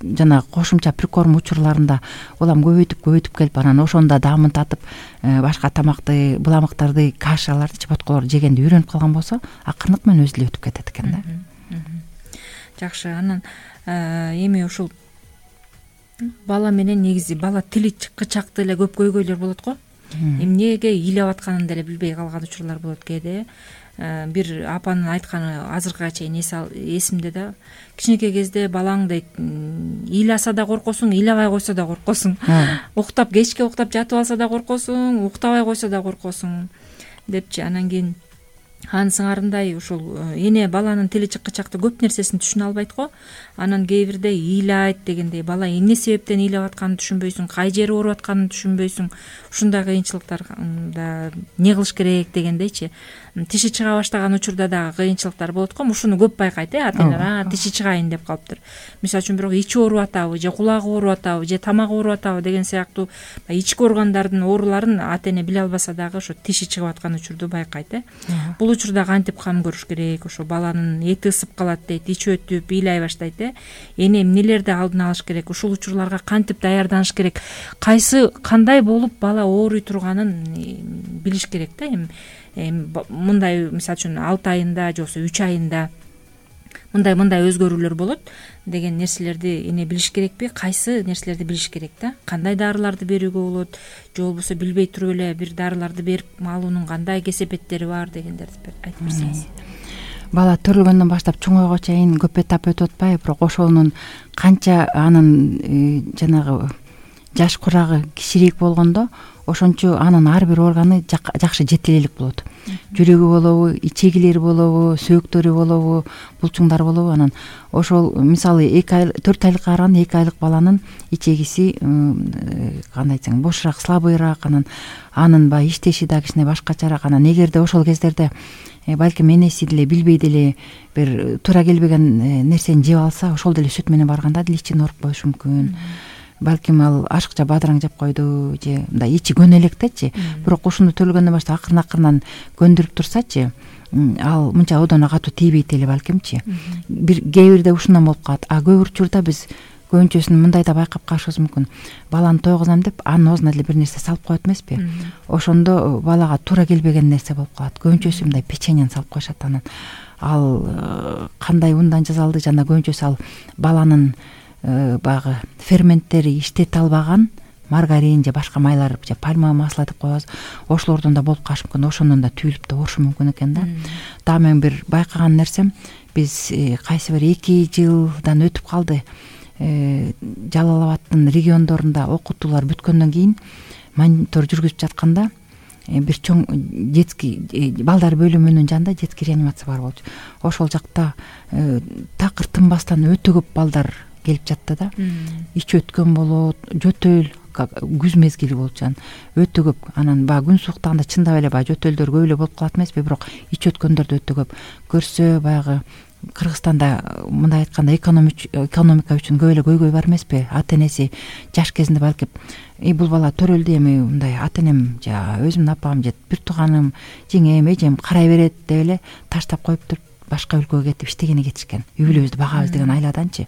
жана кошумча прикорм учурларында улам көбөйтүп келип, анан ошондо даамын татып, башка тамакты, буламыктарды, кашаларды, чеботколорду жегенди үйрөнүп калган болсо, акырындык менен өзү эле өтүп кетет экен да. Жакшы. Анан эми ушул бала менен негизи бала тили чыккычакты эле көп көйгөйлөр болот го. Эмнеге ыйлап атканын деле билбей калган учурлар болот кээде. Бир апанын айтканы азыркыга чейин эсимде да. Кичинекей кезде балаң дейт, ыйласа да коркосуң, ыйлабай койсо да коркосуң. Уктап, кечке уктап жатып алса да коркосуң, уктабай койсо да коркосуң депчи. Анан кийин анын сыңарындай ушул эне баланын тили чыккычакты көп нерсесин түшүнө албайт го. Анан кээ бирде ыйлайт дегендей, бала эмне себептен ыйлап атканын түшүнбөйсүң, кай жери ооруп атканын түшүнбөйсүң. Ушундай кыйынчылыктарда эмне кылыш керек дегендейчи. Тиши чыга баштаган учурда дагы кыйынчылыктар болот го. Ушуну көп байкайт, ата-эне тиши чыгайын деп калыптыр. Мисалы үчүн бирок ичи ооруп атабы, же кулагы ооруп атабы, же тамагы ооруп атабы деген сыяктуу ички органдардын ооруларын ата-эне биле албаса дагы ошо тиши чыгып аткан учурду байкайт. Бул учурда кантип кам көрүш керек? Ошо баланын эти ысып калат дейт, ичи өтүп, ыйлай баштайт. Эне эмнелерди алдын алыш керек? Ушул учурларга кантип даярданыш керек? Кандай болуп бала ооруй турганын билиш керек да. Мындай, мисалы үчүн 6 айында же болбосо 3 айында мындай өзгөрүүлөр болот деген нерселерди эне билиш керекпи? Кайсы нерселерди билиш керек да? Кандай дарыларды берүүгө болот? Же болбосо билбей туруп эле бир дарыларды берип алуунун кандай кесепеттери бар дегендерди айтып берсеңиз. Бала төрөлгөндөн баштап чоңойго чейин көп этап өтүп атпайбы, бирок ошонун канча анын жанагы жаш курагы кичирээк болгондо, ошончо анын ар бир органы жакшы жетилелик болот. Жүрөгү болобу, ичегилери болобу, сөөктөрү болобу, булчуңдары болобу. Анан ошол мисалы 4 айлыкка караганда 2 айлык баланын ичегиси кандай айтсаң бошураак, слабыйраак, анын баягы иштеши да кичине башкачараак. Анан эгерде ошол кездерде балким энеси деле билбей деле бир туура келбеген нерсени жеп алса, ошол деле сүт менен барганда деле ичин ооруп коюшу мүмкүн. Балким ал ашыкча бадыраң жеп койду же мындай ичи көнө электечи. Бирок ушуну төлгөндөн баштап акырын көндүрүп турсачы, ал мынча одоно катуу тийбейт эле балкимчи. Кээ бирде ушундан болуп калат. Көп учурда биз көбүнчөсүн мындай да байкап калышыбыз мүмкүн. Баланы тойгузам деп анын оозуна деле бир нерсе салып коет эмеспи? Ошондо балага туура келбеген нерсе болуп калат. Көбүнчөсү мындай печеньени салып коюшат. Анан ал кандай ундан жасалды, жана көбүнчөсү ал баланын баягы ферменттери иштете албаган маргарин же башка майлар, же пальма масло деп коебуз. Ошолордон да болуп калышы мүмкүн. Ошондон да түйүлүп да оорушу мүмкүн экен да. Дагы мен бир байкаган нерсем, биз кайсы бир 2 жылдан өтүп калды. Жалал Абадтын региондорунда окутуулар бүткөндөн кийин монитор жүргүзүп жатканда бир чоң детский балдар бөлүмүнүн жанында детский реанимация бар болчу. Ошол жакта такыр тынбастан өтө көп балдар келип жатты да. Ич өткөн болот, жөтөл күз мезгили болчу, өтө көп. Анан баягы күн сууктаганда чындап эле баягы жөтөлдөр көп эле болуп калат эмеспи, бирок ич өткөндөрдү өтө көп көрсө, баягы Кыргызстанда мындай айтканда экономика үчүн көп эле көйгөй бар эмеспи. Ата энеси жаш кезинде балким бул бала төрөлдү, эми мындай ата энем же өзүмдүн апам же бир тууганым, жеңем, эжем карай берет деп эле таштап коюп туруп башка өлкөгө кетип иштегени кетишкен. Үй бүлөбүздү багабыз деген айладанчы.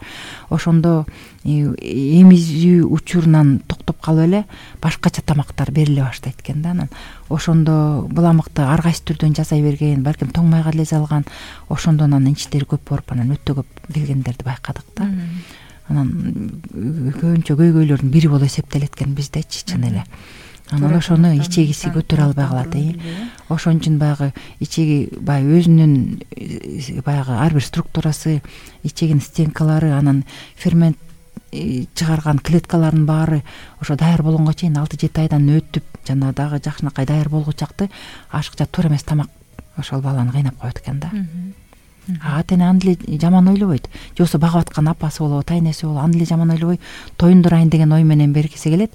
Ошондо эмизүү учурунан токтоп калып эле башкача тамактар бериле баштайт экен да. Анан ошондо буламыкты ар кайсы түрдөн жасай берген, балким тоң майга эле салган. Ошондо анан ичтери көп болуп, анан өтө көп келгендерди байкадык да. Анан көбүнчө көйгөйлөрдүн бири болуп эсептелет экен биздечи, чын эле. Анан ошону ичегиси көтөрө албай калат. Ошон үчүн баягы ичеги баягы өзүнүн баягы ар бир структурасы, ичегинин стенкалары, анан фермент чыгарган клеткалардын баары ошо даяр болгонго чейин 6-7 айдан өтүп, жана дагы жакшынакай даяр болгучакты ашыкча туура эмес тамак ошол баланы кыйнап коет экен да. Ата эне аны эле жаман ойлобойт. Же болбосо багып аткан апасы болобу, тайнеси болобу, аны эле жаман ойлобой тоюндурайын деген ой менен бергиси келет.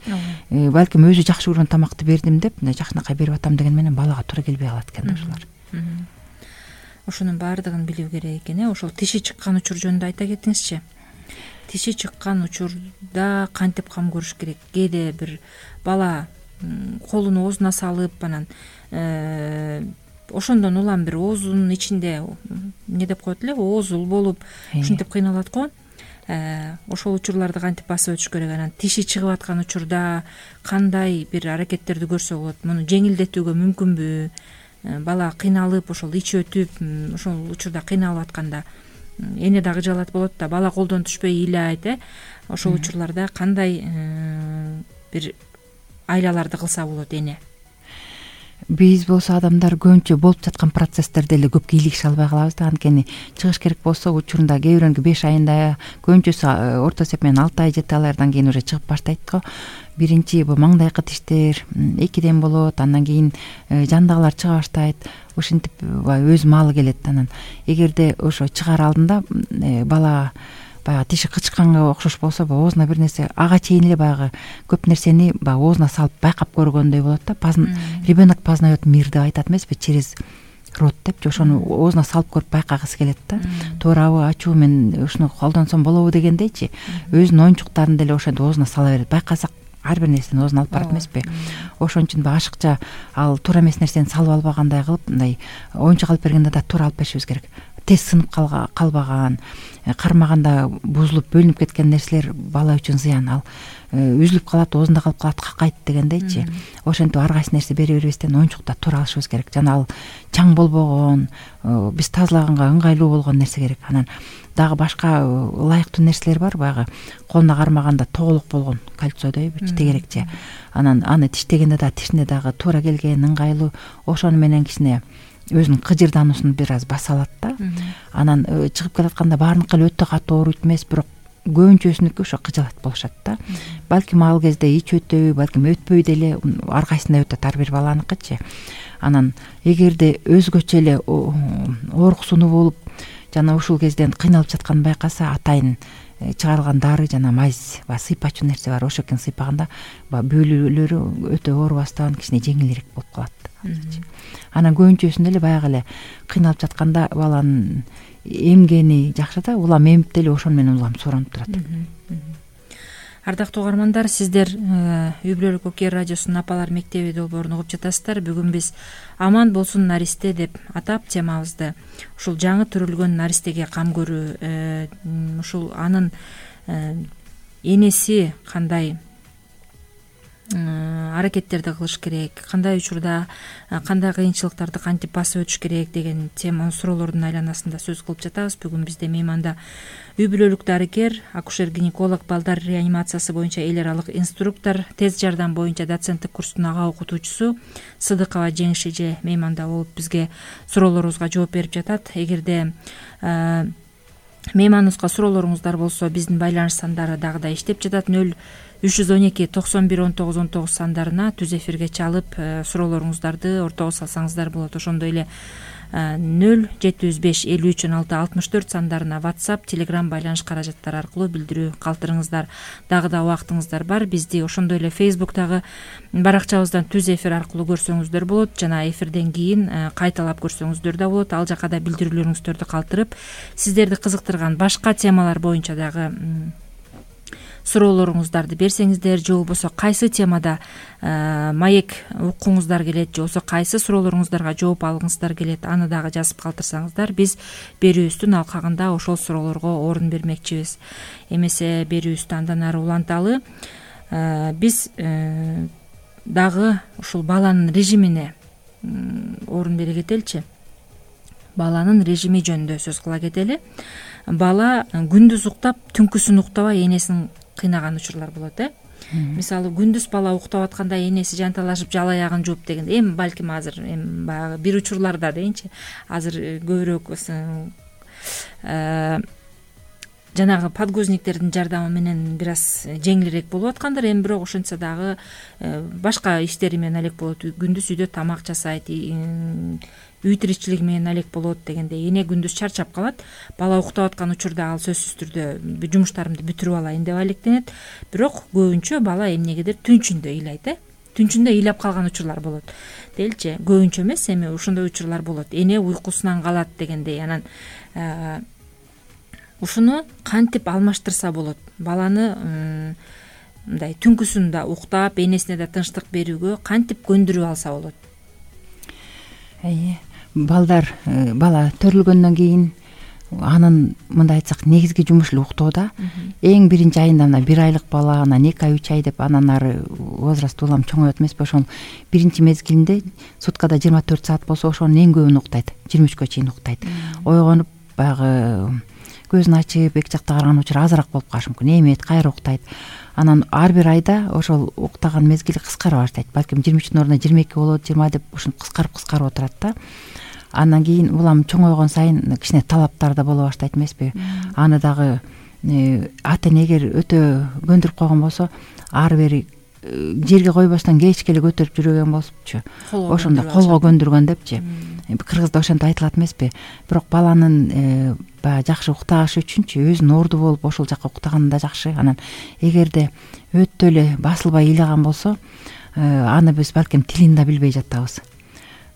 Балким өзү жакшы көргөн тамакты бердим деп, жакшынакай берип атам деген менен балага туура келбей калат экен ошолор. Ошонун баардыгын билүү керек экен. Ошол тиши чыккан учур жөнүндө айта кетиңизчи. Тиши чыккан учурда кантип кам көрүш керек? Кээде бир бала колуну оозуна салып, анан ошондон улам бир оозунун ичинде эмне деп коет эле, оозул болуп ушинтип кыйналат го. Ошол учурларды кантип басып өтүш керек? Анан тиши чыгып аткан учурда кандай бир аракеттерди көрсө болот? Муну жеңилдетүүгө мүмкүнбү? Бала кыйналып, ошол ич өтүп, ошол учурда кыйналып атканда эне дагы жалат болот да, бала колдон түшпөй ыйлайт. Ошол учурларда кандай бир айлаларды кылса болот эне? Биз болсо адамдар көбүнчө болуп жаткан процесстерди эле көп кийлигише албай калабыз да. Анткени чыгыш керек болсо учурунда кээ бирөөнүкү 5 айында, көбүнчөсү орто эсеп менен 6 ай 7 айлардан кийин уже чыгып баштайт го. Биринчи бул маңдайкы тиштер 2ден болот, андан кийин жандагылар чыга баштайт. Ушинтип өз маалы келет. Анан эгерде ошо чыгаар алдында бала баягы тиши кычканга окшош болсо, оозуна бир нерсе ага чейин эле баягы көп нерсени баягы оозуна салып байкап көргөндөй болот да. Ребенок познает мир деп айтат эмеспи, через рот депчи. Ошону оозуна салып көрүп байкагысы келет да. Туурабы, ачуу, мен ушуну колдонсом болобу дегендейчи. Өзүнүн оюнчуктарын деле ошентип оозуна сала берет. Байкасак ар бир нерсени оозуна алып барат эмеспи. Ошон үчүн ашыкча ал туура эмес нерсени салып албагандай кылып, мындай оюнчук алып бергенде да туура алып беришибиз керек. Тез сынып калбаган, кармаганда бузулуп бөлүнүп кеткен нерселер бала үчүн зыян. Ал үзүлүп калат, оозунда калып калат, какайт дегендейчи. Ошентип ар кайсы нерсе бере бербестен оюнчукта туура алышыбыз керек. Жана ал чаң болбогон, биз тазалаганга ыңгайлуу болгон нерсе керек. Анан дагы башка ылайыктуу нерселер бар, баягы колуна кармаганда тоголук болгон, кальцийдей бир тегерекче. Анан аны тиштегенде да тишине дагы туура келген, ыңгайлуу. Ошону менен кичине өзүнүн кыжырдануусун бир аз баса алат да. Анан чыгып келатканда баарыныкы эле өтө катуу ооруйт эмес, бирок көбүнчөсүнүкү ошо кыжалат болушат да. Балким ал кезде ич өтөбү, балким өтпөй деле, ар кайсында өтөт ар бир баланыкычы. Анан эгерде өзгөчө эле ооруксунуу болуп, жана ушул кезден кыйналып жатканын байкаса, атайын чыгарылган дары жана майз, сыйпачу нерсе бар. Ошокен сыйпаганда бөлүүлөрү өтө оорубастан кичине жеңилирээк болуп калат. Анан көбүнчөсүндө эле баягы эле кыйналып жатканда баланын эмгени жакшы да, улам эмип деле ошону менен улам сооронуп турат. Ардактуу угармандар, сиздер Үй бүлөлүк Окер радиосунун Апалар мектеби долбоорун угуп жатасыздар. Бүгүн биз аман болсун наристе деп атап темабызды ушул жаңы төрөлгөн наристеге кам көрүү, ушул анын энеси кандай аракеттерди кылыш керек, кандай учурда кандай кыйынчылыктарды кантип басып өтүш керек деген тема суроолордун айланасында сөз кылып жатабыз. Бүгүн бизде мейманда үй бүлөлүк дарыгер, акушер-гинеколог, балдар реанимациясы боюнча эл аралык инструктор, тез жардам боюнча доценттик курстун ага окутуучусу Сыдыкова Жеңиш эже мейманда болуп бизге суроолорубузга жооп берип жатат. Эгерде мейманыбызга суроолоруңуздар болсо, биздин байланыш сандары дагы да иштеп жатат. 312-91-19-19 сандарына түз эфирге чалып суроолоруңуздарды ортого салсаңыздар болот. Ошондой эле 0-705-53-16-64 сандарына WhatsApp, Telegram байланыш каражаттары аркылуу билдирүү калтырыңыздар. Дагы да убактыңыздар бар. Бизди ошондой эле Facebook'тагы баракчабыздан түз эфир аркылуу көрсөңүздөр болот жана эфирден кийин кайталап көрсөңүздөр да болот. Ал жака да билдирүүлөрүңүздөрдү калтырып, сиздерди кызыктырган башка темалар боюнча дагы суроолоруңуздарды берсеңиздер, же болбосо кайсы темада маек уккуңуздар келет, же болбосо кайсы суроолоруңуздарга жооп алгыңыздар келет, аны дагы жазып калтырсаңыздар, биз берүүбүздүн алкагында ошол суроолорго орун бермекчибиз. Эмесе берүүбүздү андан ары уланталы. Биз дагы ушул баланын режимине орун бере кетеличи. Баланын режими жөнүндө сөз кыла кетели. Бала күндүз уктап, түнкүсүн уктабай энесин кыйнаган учурлар болот. Мисалы, күндүз бала уктап атканда энеси жанталашып жала аягын жууп дегенде, эми балким азыр баягы бир учурларда дейинчи, азыр көбүрөөк жанагы подгузниктердин жардамы менен бир аз жеңилирээк болуп аткандыр. Эми бирок ошентсе дагы башка иштери менен алек болот. Күндүз үйдө тамак жасайт, үй тиричилиги менен алек болот дегенде эне күндүз чарчап калат. Бала уктап аткан учурда ал сөзсүз түрдө жумуштарымды бүтүрүп алайын деп алектенет. Бирок көбүнчө бала эмнегедир түнчүндө ыйлайт. Түнчүндө ыйлап калган учурлар болот. Делчи, көбүнчө эмес, эми ошондой учурлар болот. Эне уйкусунан калат дегендей. Анан ушуну кантип алмаштырса болот? Баланы мындай түнкүсүндө уктап, энесине да тынчтык берүүгө кантип көндүрүп алса болот? Бала төрүлгөндөн кийин анын мындай айтсак негизги жумушу эле уктоодо. Эң биринчи айында мына 1 айлык бала, анан 2 ай 3 ай деп анан ары возраст улам чоңойот эмеспи? Ошол биринчи мезгилинде суткада 24 саат болсо ошонун эң көбүн уктайт, 23-кө чейин уктайт. Ойгонуп баягы көзүн ачып эки жакта караган учур азыраак болуп калышы мүмкүн. Эмет, кайра уктайт. Анан ар бир айда ошол уктаган мезгили кыскара баштайт. Балким 23-тün ордуна 22 болот, 20 деп ушинтип кыскарып отурат да. Андан кийин улам чоңойгон сайын кичине талаптар да боло баштайт эмеспи? Аны дагы ата эне эгер өтө көндүрүп койгон болсо, ары бери жерге койбостон кечке эле көтөрүп жүргөн болупчу. Ошондо колго көндүргөн депчи. Кыргызда ошентип айтылат эмеспи? Бирок баланын баягы жакшы укташы үчүнчү өзүнүн орду болуп ошол жака уктаганы да жакшы. Анан эгерде өтө эле басылбай ыйлаган болсо, аны биз балким тилин да билбей жатабыз.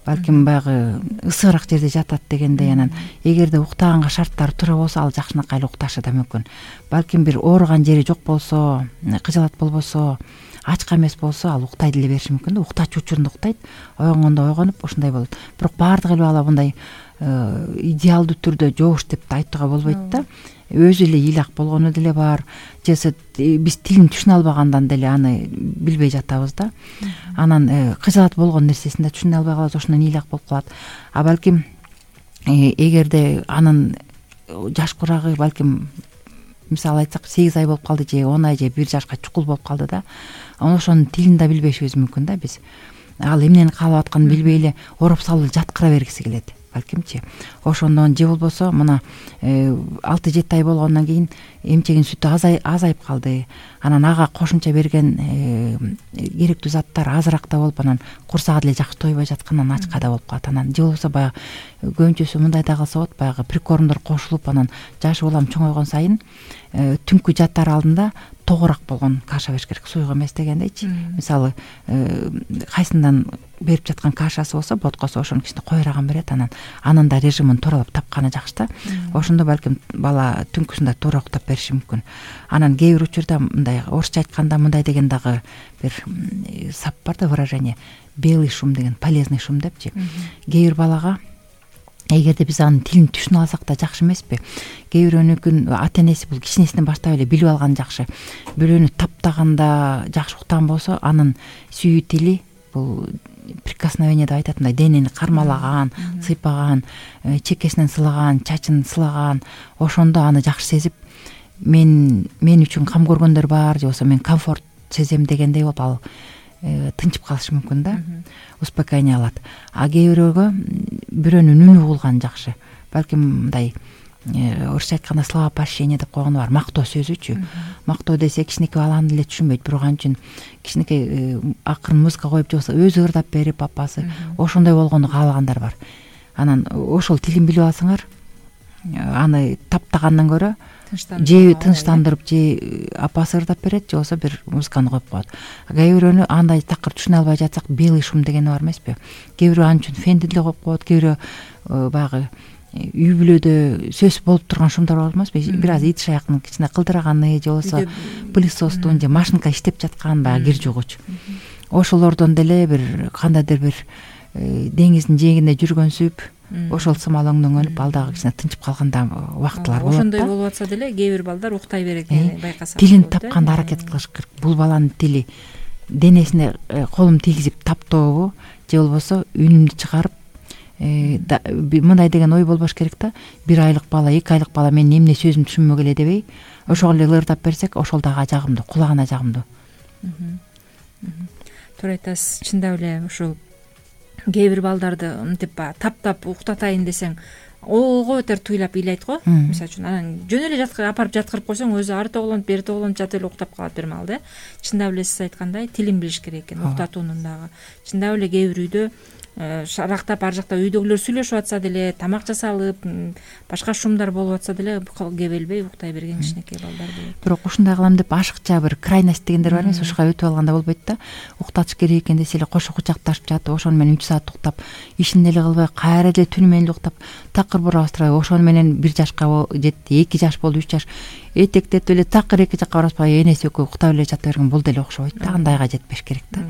Балким баягы ысыгыраак жерде жатат дегендей. Анан эгерде уктаганга шарттары туура болсо, ал жакшынакай эле укташы да мүмкүн. Балким бир ооруган жери жок болсо, кыжалат болбосо, ачка эмес болсо, ал уктай деле бериши мүмкүн да. Уктачу учурунда уктайт, ойгонгондо ойгонуп ушундай болот. Бирок баардык эле бала мындай идеалдуу түрдө жоош деп айтууга болбойт да. Өзү эле ыйлак болгону деле бар, же биз тилин түшүнө албагандан деле аны билбей жатабыз да. Анан кыжалат болгон нерсесин да түшүнө албай калабыз, ошондон ыйлак болуп калат. А балким эгерде анын жаш курагы балким мисалы айтсак 8 ай болуп калды, же 10 ай, же 1 жашка чукул болуп калды да. Ошонун тилин да билбешибиз мүмкүн да биз. Ал эмнени каалап атканын билбей эле ороп салып жаткыра бергиси келет. Балкимчи ошондон же болбосо мына 6-7 ай болгондон кийин эмчегин сүтү азайып калды. Анан ага кошумча берген керектүү заттар азыраак да болуп, анан курсагы деле жакшы тойбой жаткандан ачка да болуп калат. Анан же болбосо баягы көбүнчөсү мындай да кылса болот, баягы прикормдор кошулуп, анан жашы улам чоңойгон сайын түнкү жатар алдында тогураак болгон каша бериш керек, суюк эмес дегендейчи. Мисалы, кайсындан берип жаткан кашасы болсо, боткосо ошону кичине коюраган берет, анын да режимин тууралап тапканы жакшы да. Ошондо балким бала түнкүсүндө туура уктап бериши мүмкүн. Анан кээ бир учурда мындай орусча айтканда мындай деген дагы бир сап бар да, выражение белый шум деген, полезный шум депчи. Кээ бир балага эгерде биз анын тилин түшүнө алсак да жакшы эмеспи? Кээ бирөөнүкүн ата энеси бул кичинесинен баштап эле билип алган жакшы. Бирөөнү таптаганда жакшы уктаган болсо, анын сүйүү тили бул прикосновение деп айтат, мындай денени кармалаган, сыйпаган, чекесинен сылаган, чачын сылаган, ошондо аны жакшы сезип, мен үчүн кам көргөндөр бар, же болбосо мен комфорт сезем дегендей болуп, ал тынчып калышы мүмкүн да, успокоение алат. А кээ бирөөгө бирөөнүн үнү угулган жакшы. Балким мындай орусча айтканда словопощение деп койгону бар, мактоо сөзүчү. Мактоо десе кичинекей бала аны деле түшүнбөйт, бирок ал үчүн кичинекей акырын музыка коюп же болбосо өзү ырдап берип апасы ошондой болгону каалагандар бар. Анан ошол тилин билип алсаңар, аны таптагандан көрө же тынчтандырып, же апасы ырдап берет, же болбосо бир музыканы коюп коет. Кээ бирөөнү андай такыр түшүнө албай жатсак, белый шум дегени бар эмеспи? Кээ бирөө ал үчүн фенди деле коюп коет, кээ бирөө баягы үй бүлөдө сөз болуп турган шумдар бар эмеспи? Бир аз ит шаяктын кичине кылдыраганы, же болбосо пылесостун же машинка иштеп жаткан баягы кир жугуч. Ошолордон деле бир кандайдыр бир деңиздин жээгинде жүргөнсүп, ошол сымал оңдөнгөнүп, ал дагы кичине тынчып калганда убактылар болот да. Ошондой болуп атса деле кээ бир балдар уктай берет экенин байкасак. Тилин тапканда аракет кылыш керек. Бул баланын тили денесине колун тийгизип таптообу, же болбосо үнүмдү чыгарып, мындай деген ой болбош керек да. 1 айлык бала, 2 айлык бала менин эмне сөзүмдү түшүнмөк эле дебей, ошол эле ырдап берсек, ошол дагы жагымдуу, кулагына жагымдуу. Туура айтасыз. Чындап эле ушул кээ бир балдарды мынтип таптап уктатайын десең, ого бетер туйлап ыйлайт го. Мисалы үчүн анан жөн эле апарып жаткырып койсоң, өзү ары тоголонуп, бери тоголонуп жатып эле уктап калат бир маал да. Чындап эле сиз айткандай тилин билиш керек экен, уктатуунун дагы. Чындап эле кээ бир үйдө шарактап ар жакта үйдөгүлөр сүйлөшүп атса деле, тамак жасалып, башка шумдар болуп атса деле кебелбей уктай берген кичинекей балдар болот. Бирок ушундай кылам деп ашыкча бир крайность дегендер бар эмес, ушуга өтүп алганда болбойт да. Уктатыш керек экен десе эле кошо кучакташып жатып, ошону менен 3 саат уктап, ишин деле кылбай, кайра эле түнү менен эле уктап, такыр бурабызтырбай, ошону менен 1 жашка жетти, 2 жаш болду, 3 жаш этектетип эле такыр 2 жакка бараспай энеси экөө уктап эле жата берген, бул деле окшобойт да. Андайга жетпеш керек да.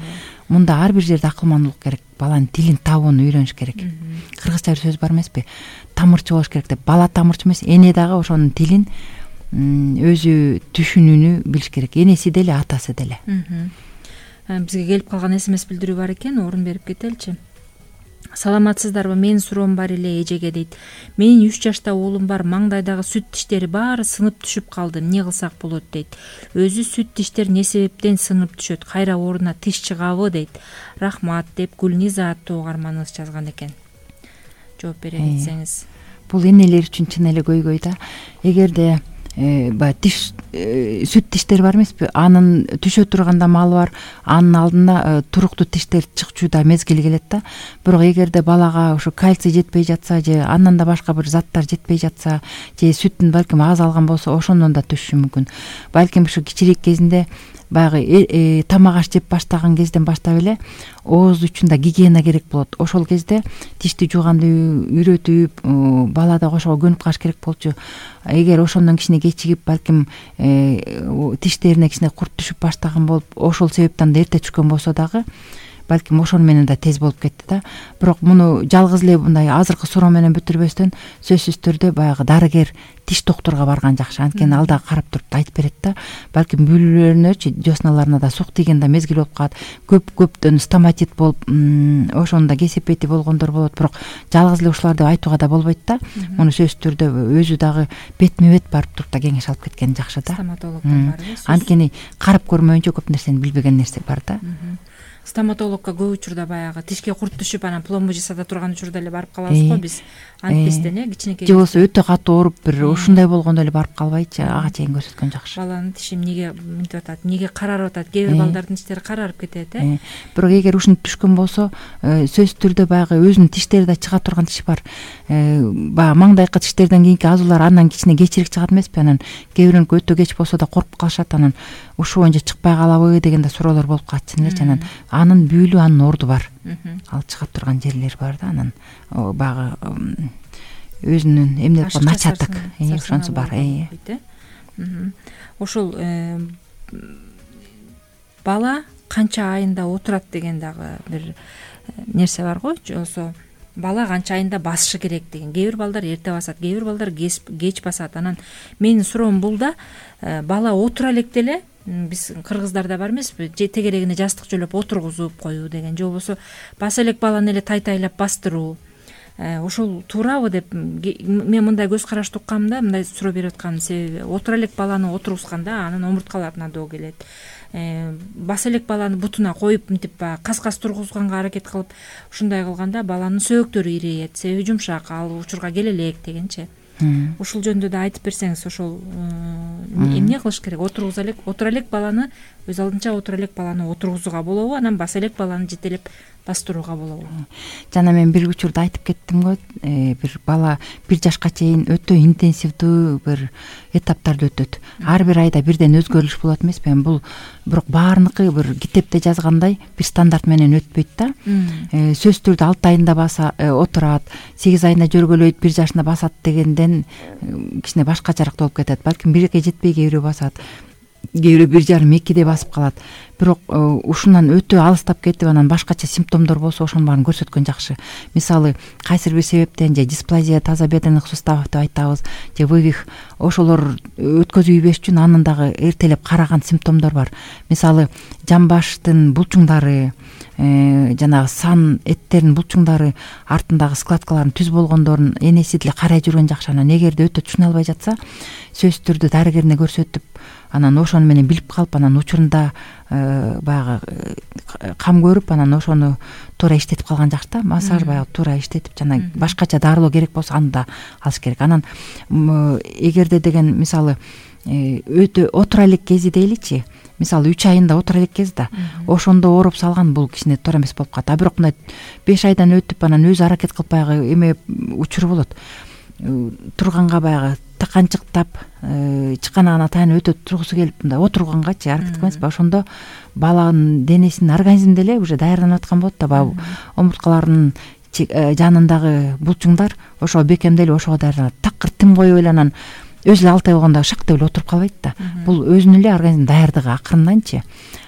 Мында ар бир жерде акылмандуулук керек. Баланын тилин табууну үйрөнүш керек. Кыргызча бир сөз бар эмеспи? Тамырчы болуш керек деп. Бала тамырчы эмес, эне дагы ошонун тилин өзү түшүнүүнү билиш керек. Энеси деле, атасы деле. Бизге келип калган СМС билдирүү бар экен, орун берип кетеличи. Саламатсыздарбы? Менин суроом бар эле эжеге дейт. Менин 3 жашта уулум бар, маңдайдагы сүт тиштери баары сынып түшүп калды. Эмне кылсак болот дейт. Өзү сүт тиштер эмне себептен сынып түшөт? Кайра ордуна тиш чыгабы deyт. Рахмат деп Гүлниза аттуу угарманыбыз жазган экен. Жооп бере кетсеңиз. Бул энелер үчүн чын эле көйгөй да. Эгерде баягы тиш сүт тиштер бар эмеспи? Анын түшө турганда малы бар, анын алдында туруктуу тиштер чыкчу да мезгили келет да. Бирок эгерде балага ошо кальций жетпей жатса, же андан да башка бир заттар жетпей жатса, же сүтүн балким аз алган болсо, ошондон да түшүшү мүмкүн. Балким ушу кичирээк кезинде баягы тамак аш жеп баштаган кезден баштап эле ооз учунда гигиена керек болот. Ошол кезде тишти жууганды үйрөтүп, бала да ошого көнүп калыш керек болчу. Эгер ошондон кичине кечигип, балким тиштерине кичине курт түшүп баштаган болуп, ошол себептен да эрте түшкөн болсо дагы, балким ошону менен да тез болуп кетти да. Бирок муну жалгыз эле мындай азыркы суроо менен бүтүрбөстөн, сөзсүз түрдө баягы дарыгер, тиш доктурга барган жакшы. Анткени ал да карап туруп айтып берет да. Балким бүлөлөрүнөчү, дёсналарына да сук тийген да мезгил болуп калат. Көптөн стоматит болуп, ошондо да кесепети болгондор болот. Бирок жалгыз эле ушулар деп айтууга да болбойт да. Муну сөзсүз түрдө өзү дагы бетме бет барып туруп да кеңеш алып кеткен жакшы да. Стоматологдор бар. Анткени карап көрмөйүнчө көп нерсени билбеген нерсе бар да. Стоматологко көп учурда баягы тишке курт түшүп, анан пломба жасата турган учурда эле барып калабыз го биз. Антпестен кичинекей. Же болбосо өтө катуу ооруп, бир ушундай болгондо эле барып калбайчы, ага чейин көрсөткөн жакшы. Баланын тиши эмнеге мынтип атат, эмнеге карарып атат? Кээ бир балдардын тиштери карарып кетет, Бирок эгер ушинтип түшкөн болсо, сөзсүз түрдө баягы өзүнүн тиштери да чыга турган тиш бар. Баягы маңдайкы тиштерден кийинки азуулар андан кичине кечирээк чыгат эмеспи? Анан кээ бирөөнүкү өтө кеч болсо да коркуп калышат. Анан ушул боюнча чыкпай калабы деген да суроолор болуп калат чын элечи. Анан анын бүүлү, анын орду бар. Ал чыга турган жерлер бар да. Анан баягы өзүнүн эмне деп коет, начатык, ошонусу бар. Ошол бала канча айында отурат деген дагы бир нерсе бар го. Же болбосо бала канча айында басышы керек деген. Кээ бир балдар эрте басат, кээ бир балдар кеч басат. Анан менин суроом бул да, бала отура электе эле, биз кыргыздарда бар эмеспи, тегерегине жастык жөлөп отургузуп коюу деген, же болбосо баса элек баланы эле тайтайлап бастыруу. Ошол туурабы деп мен мындай көз карашты уккам да, мындай суроо берип атканын себеби, отура элек баланы отургузганда анын омурткаларына доо келет. Баса элек баланы бутуна коюп, мынтип кас-кас тургузганга аракет кылып, ушундай кылганда баланын сөөктөрү ирейет, себеби жумшак, ал учурга келе элек дегенчи. ушул жөнүндө да айтып берсеңиз, ошол эмне кылыш керек? Отура элек баланы өз алдынча отура элек баланы отургузууга болобу, анан баса элек баланы жетелеп бастырууга болобу? Жана мен бир учурда айтып кеттим го, бир бала 1 жашка чейин өтө интенсивдүү бир этаптарды өтөт. Ар бир айда бирден өзгөрүш болот эмеспи? Бул бирок баарыныкы бир китепте жазгандай бир стандарт менен өтпөйт да. Сөзсүз түрдө 6 айында баса отурат, 8 айында жөргөлөйт, 1 жашында басат дегенден кичине башкачараак болуп кетет. Балким 1-ге жетпей кээ бирөө басат, кээ бирөө 1,5-2 басып калат. Бирок ушундан өтө алыстап кетип, анан башкача симптомдор болсо ошонун баарын көрсөткөн жакшы. Мисалы, кайсыр бир себептен же дисплазия тазобедренных суставов деп айтабыз, же вывих, ошолор өткөзүлбеш үчүн анын дагы эртелеп караган симптомдор бар. Мисалы, жамбаштын булчуңдары, жанагы сан эттеринин булчуңдары, артындагы складкалардын түз болгондорун энеси деле карай жүргөн жакшы. Анан эгерде өтө түшүнө албай жатса, сөзсүз түрдө дарыгерине көрсөтүп, анан ошону менен билип калып, анан учурунда баягы кам көрүп, анан ошону туура иштетип калган жакшы да. Массаж баягы туура иштетип, жана башкача дарылоо керек болсо аны да алыш керек. Анан эгерде деген мисалы өтө отура элек кези дейличи, мисалы 3 айында отура элек кез да, ошондо ооруп салган, бул кичине туура эмес болуп калат. А бирок мындай 5 айдан өтүп, анан өзү аракет кылып баягы эме учуру болот. Турганга баягы таканчыктап, чыканагына таянып өтө тургусу келип, мындай отургангачы аракет кылмайсызбы? Ошондо баланын денесинин организми деле уже даярданып аткан болот да. Баягы омурткалардын жанындагы булчуңдар ошого бекемделип, ошого даярданат. Такыр тим коюп эле анан өзү эле 6 ай болгондо шак деп эле отуруп калбайт да. Бул өзүнүн эле организм даярдыгы акырынданчы.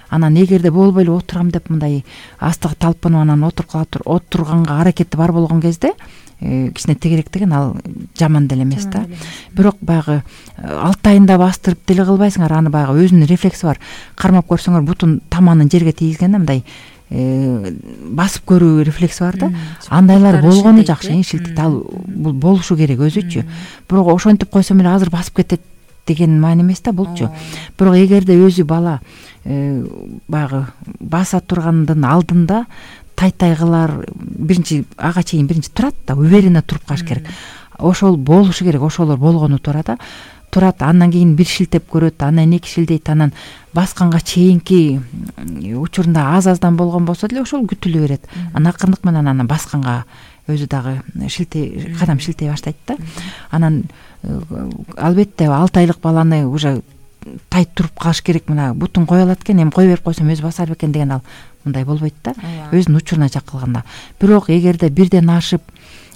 Анан эгерде болбой эле отурам деп мындай астыгы талпынып анан отурганга аракети бар болгон кезде кичине тегерек деген ал жаман деле эмес да. Бирок баягы 6 айында бастырып деле кылбайсыңар, аны баягы өзүнүн рефлекси бар. Кармап көрсөңөр бутун таманын жерге тийгизгенде мындай басып көрүү рефлекси бар да. Андайлар болгону жакшы, шилтейт. Ал бул болушу керек өзүчү. Бирок ошентип койсом эле азыр басып кетет деген маани эмес да булчу. Бирок эгерде өзү бала баягы баса тургандын алдында тай-тайгылар биринчи ага чейин турат да, уверенно туруп калыш керек. Ошол болушу керек, ошолор болгону туура да. Турат, андан кийин бир шилтеп көрөт, анан 2 шилтейт, анан басканга чейинки учурунда аз-аздан болгон болсо деле ошол күтүлө берет. Анан акырындык менен анан басканга өзү дагы кадам шилтей баштайт да. Анан албетте 6 айлык баланы уже тайт туруп калыш керек. Мына бутун кое алат экен, эми кое берип койсом өзү басар бекен деген ал мындай болбойт да. Өзүнүн учуруна чакылганда. Бирок эгерде бирден ашып,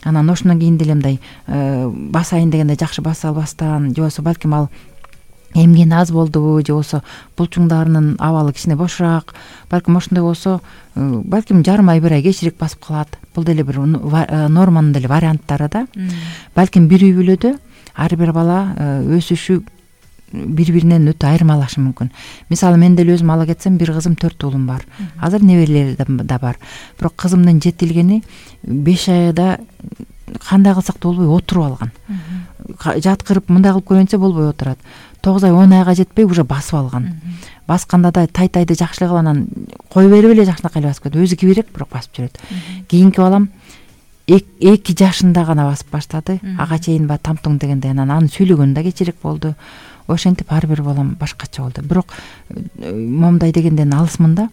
анан ошондон кийин деле мындай басайын дегенде жакшы баса албастан, же болбосо балким ал эмгени аз болдубу, же болбосо булчуңдарынын абалы кичине бошураак, балким ошондой болсо, балким жарым ай 1 ай кечирээк басып калат. Бул деле бир норманын деле варианттары да. Балким бир үй бүлөдө ар бир бала өсүшү бири-биринен өтө айырмалашы мүмкүн. Мисалы, мен деле өзүм ала кетсем, бир кызым 4 уулум бар. Азыр неберелери да бар. Бирок кызымдын жетилгени 5 айда кандай кылсак да болбой отуруп алган. Жаткырып мындай кылып көрүнсө болбой отурат. 9 ай 10 айга жетпей уже басып алган. Басканда да тай-тайды жакшы эле кылып, анан кой берип эле жакшынакай эле басып кетет. Өзү кибирээк, бирок басып жүрөт. Кийинки балам 2 жашында гана басып баштады. Ага чейин ба тамтуң дегенде, анан аны сүйлөгөнү да кечирээк болду. Ошентип ар бир балам башкача болду. Бирок момундай дегенден алысмын да.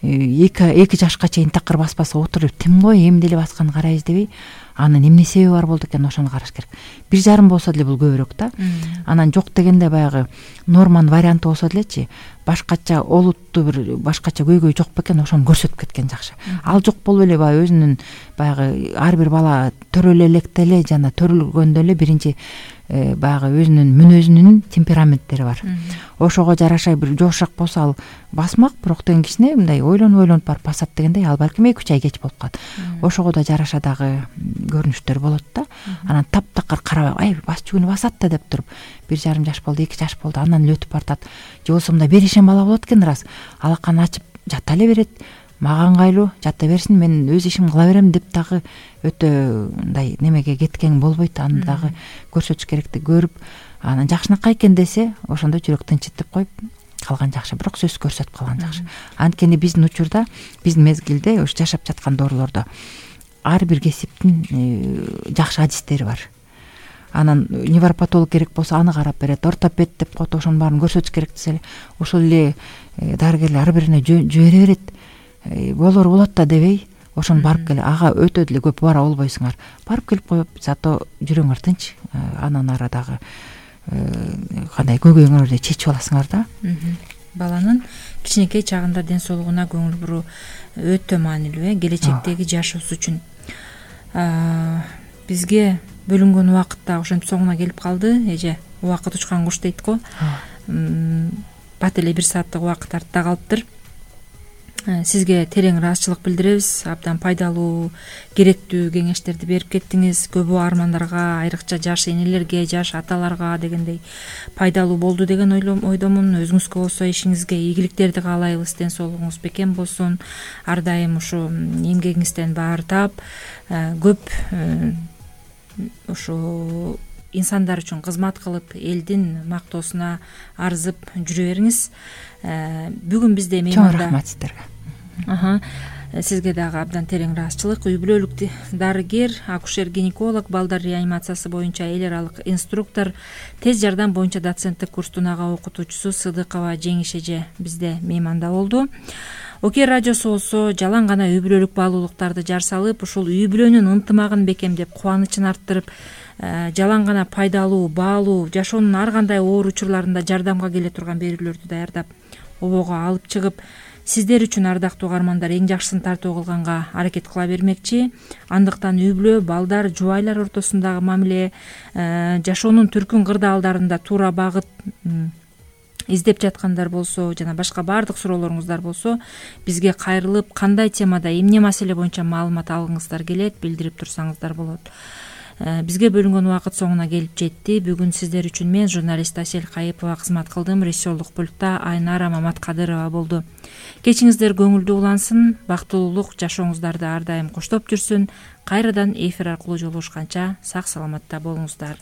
2 жашка чейин такыр баспаса отуруп, тим кой эмди эле басканын карайбыз дебей, анын эмне себеби бар болду экен, ошону караш керек. 1,5 болсо деле бул көбүрөөк да. Анан жок дегенде баягы норманын варианты болсо делечи, башкача олуттуу бир башкача көйгөй жок бекен, ошону көрсөтүп кеткен жакшы. Ал жок болуп эле баягы өзүнүн баягы ар бир бала төрөлө электе эле жана төрөлгөндө эле биринчи баягы өзүнүн мүнөзүнүн темпераменттери бар. Ошого жараша бир жошак болсо ал басмак, бирок деген кичине мындай ойлонуп барып басат дегендей, ал балким 2-3 ай кеч болуп калат. Ошого да жараша дагы көрүнүштөр болот да. Анан таптакыр карабай, ай басчу күнү басат да деп туруп, 1,5 жаш болду, 2 жаш болду, анан эле өтүп бартат. Же болбосо мындай беришен бала болот экен, рас. Алаканы ачып жата эле берет. Мага ыңгайлуу, жата берсин, мен өз ишимди кыла берем деп дагы өтө мындай немеге кеткен болбойт. Аны дагы көрсөтүш керекти көрүп, анан жакшынакай экен десе, ошондо жүрөк тынчытып коюп калган жакшы. Бирок сөз көрсөтүп калган жакшы. Анткени биздин учурда, биздин мезгилде, ошо жашап жаткан доорулордо ар бир кесиптин жакшы адистери бар. анан невропатолог керек болсо аны карап берет, ортопед деп коет, ошонун баарын көрсөтүш керек десе эле ошол эле дарыгерлер ар бирине жибере берет. Болор болот да дебей ошону барып келе, ага өтө деле көп бара болбойсуңар, барып келип коюп, зато жүрөңөр тынч, анан ары дагы кандай көйгөйүңөрдү чечип аласыңар да. Баланын кичинекей чагында ден соолугуна көңүл буруу өтө маанилүү, келечектеги жашоосу үчүн. Бизге бөлүнгөн убакыт да ошентип соңуна келип калды. Эже убакыт учкан куш дейт го. Бат эле 1 сааттык убакыт артта калыптыр. Сизге терең ыраазычылык билдиребиз. Абдан пайдалуу, керектүү кеңештерди берип кеттиңиз. Көбү армандарга, айрыкча жаш энелерге, жаш аталарга дегендей пайдалуу болду деген ойдомун. Өзүңүзгө болсо ишиңизге ийгиликтерди каалайбыз, ден соолугуңуз бекем болсун. Ар дайым ушу эмгегиңизден баар таап, көп ушу инсандар үчүн кызмат кылып, элдин мактоосуна арзып жүрө бериңиз. Бүгүн бизде чоң рахмат сиздерге. Сизге дагы абдан терең ыраазычылык. Үй бүлөлүк дарыгер, акушер-гинеколог, балдар реанимациясы боюнча эл аралык инструктор, тез жардам боюнча доценттик курстун ага окутуучусу Сыдыкова Жеңиш эже бизде мейманда болду. Окей радиосу болсо жалаң гана үй бүлөлүк баалуулуктарды жар салып, ушул үй бүлөнүн ынтымагын бекемдеп, кубанычын арттырып, жалаң гана пайдалуу, баалуу, жашоонун ар кандай оор учурларында жардамга келе турган берүүлөрдү даярдап, обого алып чыгып, сиздер үчүн ардактуу угармандар эң жакшысын тартуу кылганга аракет кыла бермекчи. Андыктан үй бүлө, балдар, жубайлар ортосундагы мамиле, жашоонун түркүн кырдаалдарында туура багыт издеп жаткандар болсо, жана башка баардык суроолоруңуздар болсо, бизге кайрылып, кандай темада, эмне маселе боюнча маалымат алгыңыздар келет, билдирип турсаңыздар болот. Бизге бөлүнгөн убакыт соңуна келип жетти. Бүгүн сиздер үчүн мен, журналист Асель Кайыпова кызмат кылдым. Режиссерлук пультта Айнара Маматкадырова болду. Кечиңиздер көңүлдүү улансын, бактылуулук жашооңуздарды ар дайым коштоп жүрсүн. Кайрадан эфир аркылуу жолугушканча сак саламатта болуңуздар.